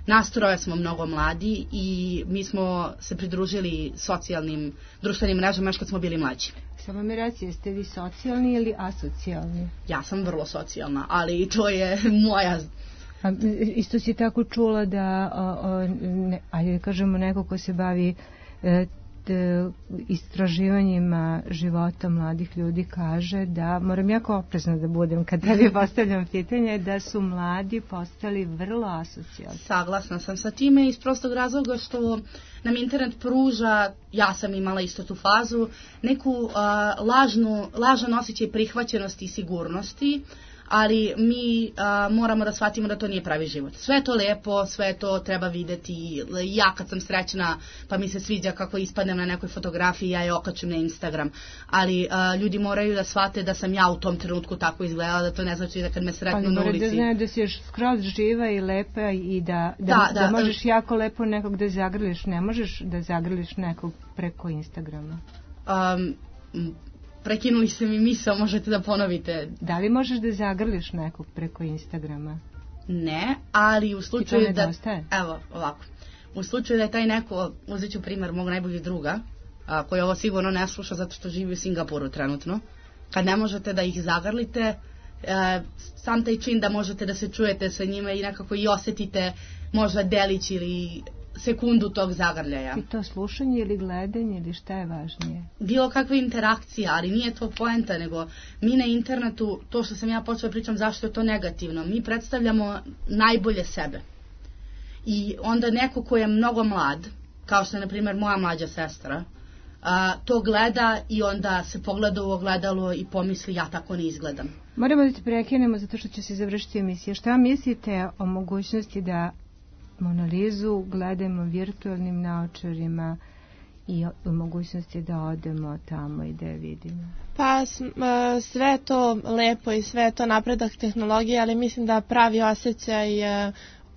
Nas troje smo mnogo mladi i mi smo se pridružili socijalnim društvenim mrežama još kad smo bili mlađi. Samo mi reći, jeste vi socijalni ili asocijalni? Ja sam vrlo socijalna, ali to je moja... A, isto si tako čula da, o, o, ne, ajde kažemo, neko ko se bavi e, t, istraživanjima života mladih ljudi kaže da, moram jako oprezna da budem kad tebi postavljam pitanje, da su mladi postali vrlo asocijalni. Saglasna sam sa time iz prostog razloga što nam internet pruža, ja sam imala isto tu fazu, neku uh, lažnu, lažan osjećaj prihvaćenosti i sigurnosti, ali mi a, moramo da shvatimo da to nije pravi život. Sve je to lepo, sve to treba videti. Ja kad sam srećna pa mi se sviđa kako ispadnem na nekoj fotografiji, ja je okačim na Instagram. Ali a, ljudi moraju da shvate da sam ja u tom trenutku tako izgledala, da to ne znači da kad me sretnu na ulici. Ali moraju da znaju da si još skroz živa i lepa i da, da, da, da, da možeš jako lepo nekog da zagrliš. Ne možeš da zagrliš nekog preko Instagrama. Um, Prekinuli ste mi misao, možete da ponovite. Da li možeš da zagrliš nekog preko Instagrama? Ne, ali u slučaju da... Nedostaje? Evo, ovako. U slučaju da je taj neko, uzet ću primjer mog najboljeg druga, a, koji ovo sigurno ne sluša zato što živi u Singapuru trenutno, kad ne možete da ih zagrlite, a, sam taj čin da možete da se čujete sa njima i nekako i osetite možda delić ili sekundu tog zagrljaja. I to slušanje ili gledanje ili šta je važnije? Bilo kakva interakcija, ali nije to poenta, nego mi na internetu, to što sam ja počela pričam zašto je to negativno, mi predstavljamo najbolje sebe. I onda neko ko je mnogo mlad, kao što je na primjer moja mlađa sestra, a, to gleda i onda se pogleda u ogledalo i pomisli ja tako ne izgledam. Moramo da te prekinemo zato što će se završiti emisija. Šta mislite o mogućnosti da Mona Lizu gledamo virtualnim naočarima i o mogućnosti da odemo tamo i da je vidimo? Pa sve je to lepo i sve je to napredak tehnologije, ali mislim da pravi osjećaj,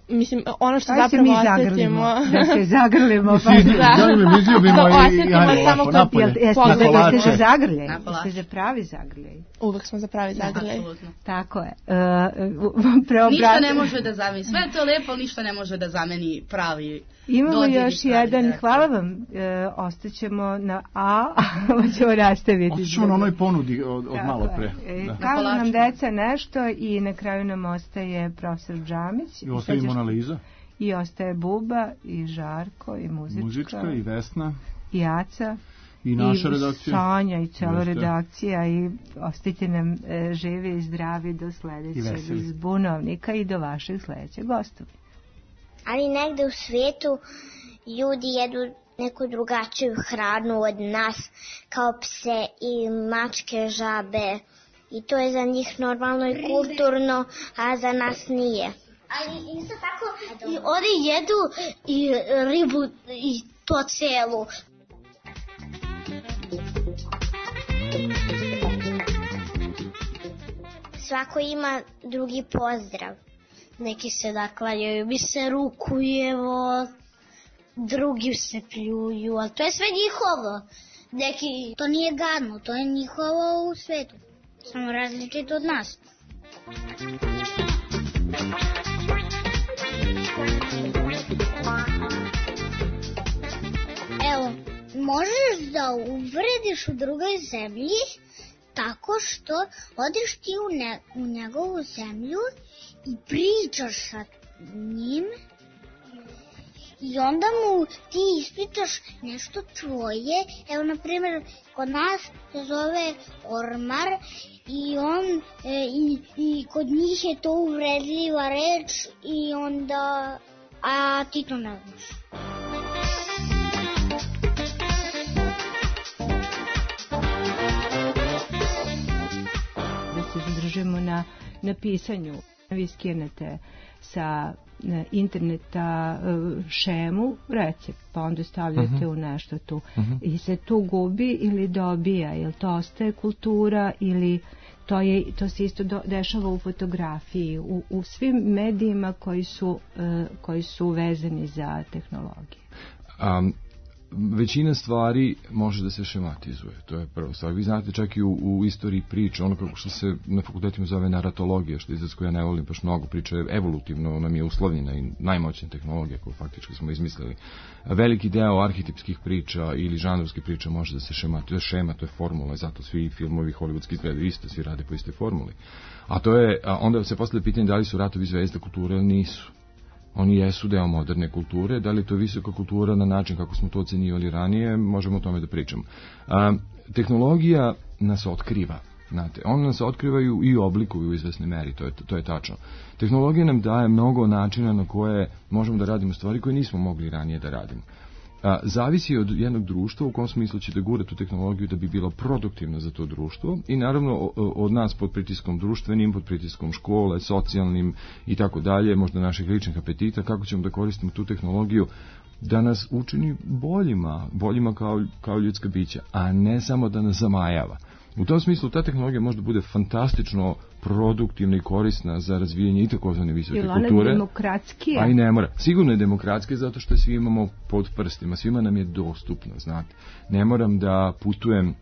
mislim, ono što Aj zapravo zagrlimo, osjetimo... Da se zagrlimo. Pa da. Zagrlimo, izljubimo to i... osjetimo samo kod... Jeste za zagrljaj? Jeste za pravi zagrljaj? Uvek smo za pravi zagrljaj. Tako je. Uh, ništa ne može da zameni. Sve je to lepo, ništa ne može da zameni pravi... Imamo još jedan, direktor. Hvala vam, e, ostaćemo na A, ovo ćemo nastaviti. Ostaćemo na onoj ponudi od, od malo pre. Da. Kažu nam deca nešto i na kraju nam ostaje profesor Džamić. I ostaje Mona Liza. I ostaje Buba, i Žarko, i muzička. Muzička, i Vesna. I Aca. I naša i redakcija. Sonja, i cijela redakcija. I ostajte nam e, živi i zdravi do sledećeg zbunovnika i do vašeg sledećeg gostova. Ali negde u svijetu ljudi jedu neku drugačiju hranu od nas, kao pse i mačke, žabe. I to je za njih normalno i kulturno, a za nas nije. Ali isto tako i oni jedu i ribu i to celu. Svako ima drugi pozdrav. Neki se naklanjaju, mi se rukujemo, drugi se pljuju, ali to je sve njihovo. Neki, to nije gadno, to je njihovo u svetu. Samo različito od nas. Evo, možeš da uvrediš u drugoj zemlji tako što odiš ti u, ne, u njegovu zemlju i pričaš sa njim i onda mu ti ispitaš nešto tvoje. Evo, na primjer, kod nas se zove ormar i on e, i, i kod njih je to uvredljiva reč i onda, a ti to ne znaš. Da se zadržimo na, na pisanju. Vi skinete sa interneta šemu, recept, pa onda stavljate uh-huh. u nešto tu. Uh-huh. I se tu gubi ili dobija? Jel to ostaje kultura ili to, je, to se isto do, dešava u fotografiji, u, u svim medijima koji su, uh, koji su vezani za tehnologiju? Um, većina stvari može da se šematizuje, to je prvo stvar. Vi znate čak i u, u istoriji priče, ono kako što se na fakultetima zove naratologija, što je izraz koju ja ne volim baš mnogo, priča je evolutivno, nam je uslovljena i najmoćnija tehnologija koju faktički smo izmislili. Veliki deo arhetipskih priča ili žanrovskih priča može da se šematizuje, šema, to je formula, zato svi filmovi hollywoodski izgledaju isto, svi rade po istoj formuli. A to je, a onda se postavlja pitanje da li su ratovi zvezda kulture ili nisu. Oni jesu deo moderne kulture, da li je to visoka kultura na način kako smo to ocenjivali ranije, možemo o tome da pričamo. A, tehnologija nas otkriva, znate, ona nas otkrivaju i oblikuju u izvesnoj meri, to je, to je tačno. Tehnologija nam daje mnogo načina na koje možemo da radimo stvari koje nismo mogli ranije da radimo. A, zavisi od jednog društva u kom smislu će da gura tu tehnologiju da bi bilo produktivno za to društvo i naravno od nas pod pritiskom društvenim, pod pritiskom škole, socijalnim i tako dalje, možda naših ličnih apetita, kako ćemo da koristimo tu tehnologiju da nas učini boljima, boljima kao, kao ljudska bića, a ne samo da nas zamajava. U tom smislu ta tehnologija može da bude fantastično produktivna i korisna za razvijanje i takozvane visoke kulture. Ili ona je demokratskija? A i ne mora. Sigurno je demokratskija zato što svi imamo pod prstima, svima nam je dostupno, znate. Ne moram da putujem,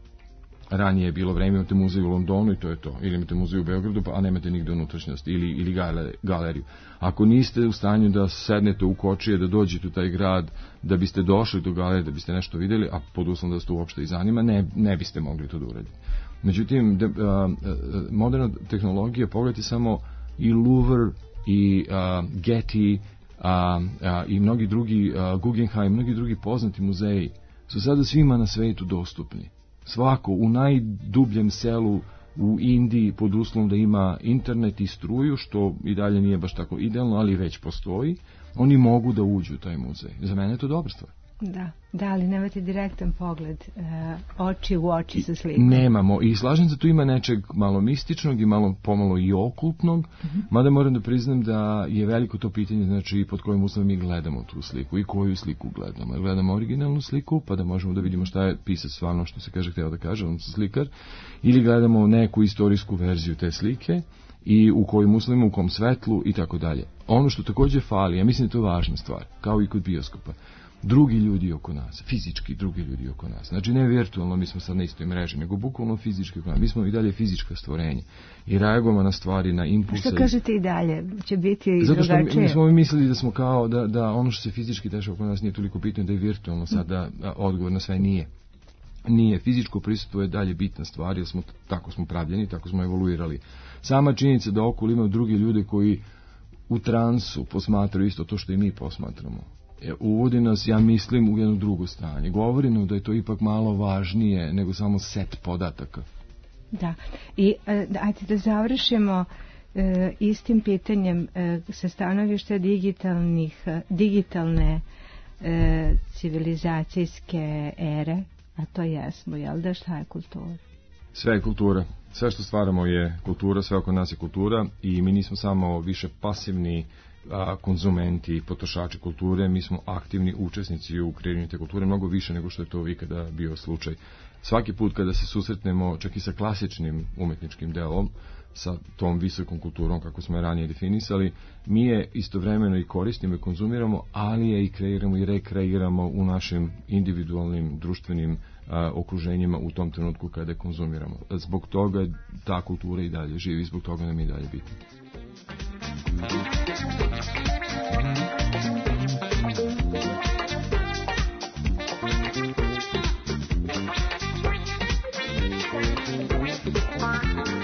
ranije je bilo vreme, imate muzej u Londonu i to je to. Ili imate muzej u Beogradu, a nemate nigde unutrašnjosti ili, ili galeriju. Ako niste u stanju da sednete u kočije, da dođete u taj grad, da biste došli do galerije, da biste nešto vidjeli, a pod uslovom da ste uopšte i zanima, ne, ne biste mogli to da uraditi. Međutim, de, a, moderna tehnologija, pogledajte samo i Louvre, i a, Getty, a, a, i mnogi drugi, a, Guggenheim, mnogi drugi poznati muzeji, su sada svima na svetu dostupni. Svako u najdubljem selu u Indiji pod uslovom da ima internet i struju, što i dalje nije baš tako idealno, ali već postoji, oni mogu da uđu u taj muzej. Za mene je to dobra stvar. Da, da, ali nemate direktan pogled, uh, oči u oči sa slikom. Nemamo, i slažem se, tu ima nečeg malo mističnog i malo pomalo i okultnog, uh-huh. Mada moram da priznam da je veliko to pitanje, znači pod kojim uslovom mi gledamo tu sliku i koju sliku gledamo. Gledamo originalnu sliku, pa da možemo da vidimo šta je pisac stvarno, što se kaže, hteo da kaže, on se slikar, ili gledamo neku istorijsku verziju te slike, i u kojim uslovima, u kom svetlu i tako dalje. Ono što takođe fali, ja mislim da je to važna stvar, kao i kod bioskopa, drugi ljudi oko nas, fizički drugi ljudi oko nas. Znači ne virtualno, mi smo sad na istoj mreži, nego bukvalno fizički oko nas. Mi smo i dalje fizička stvorenja i reagujemo na stvari, na impulse. Što kažete i dalje? Će biti i zato što drugačije? Mi smo mislili da smo kao, da, da ono što se fizički dešava oko nas nije toliko bitno, da je virtualno sad, da, da odgovor na sve nije. Nije, fizičko prisustvo je dalje bitna stvar, jer smo, tako smo pravljeni, tako smo evoluirali. Sama činjenica da okolo imaju drugi ljude koji u transu posmatraju isto to što i mi posmatramo, uvodi nas, ja mislim, u jedno drugo stanje. Govori nam da je to ipak malo važnije nego samo set podataka. Da, i ajde da završimo e, istim pitanjem e, sa stanovišta digitalnih, digitalne e, civilizacijske ere, a to jesmo, jel da, šta je kultura? Sve je kultura. Sve što stvaramo je kultura, sve oko nas je kultura i mi nismo samo više pasivni a, konzumenti, potrošači kulture, mi smo aktivni učesnici u kreiranju te kulture, mnogo više nego što je to ikada bio slučaj. Svaki put kada se susretnemo čak i sa klasičnim umetničkim delom, sa tom visokom kulturom kako smo je ranije definisali, mi je istovremeno i koristimo i konzumiramo, ali je i kreiramo i rekreiramo u našim individualnim društvenim a, okruženjima u tom trenutku kada je konzumiramo. Zbog toga ta kultura i dalje živi, zbog toga nam je i dalje bitna. Thank you.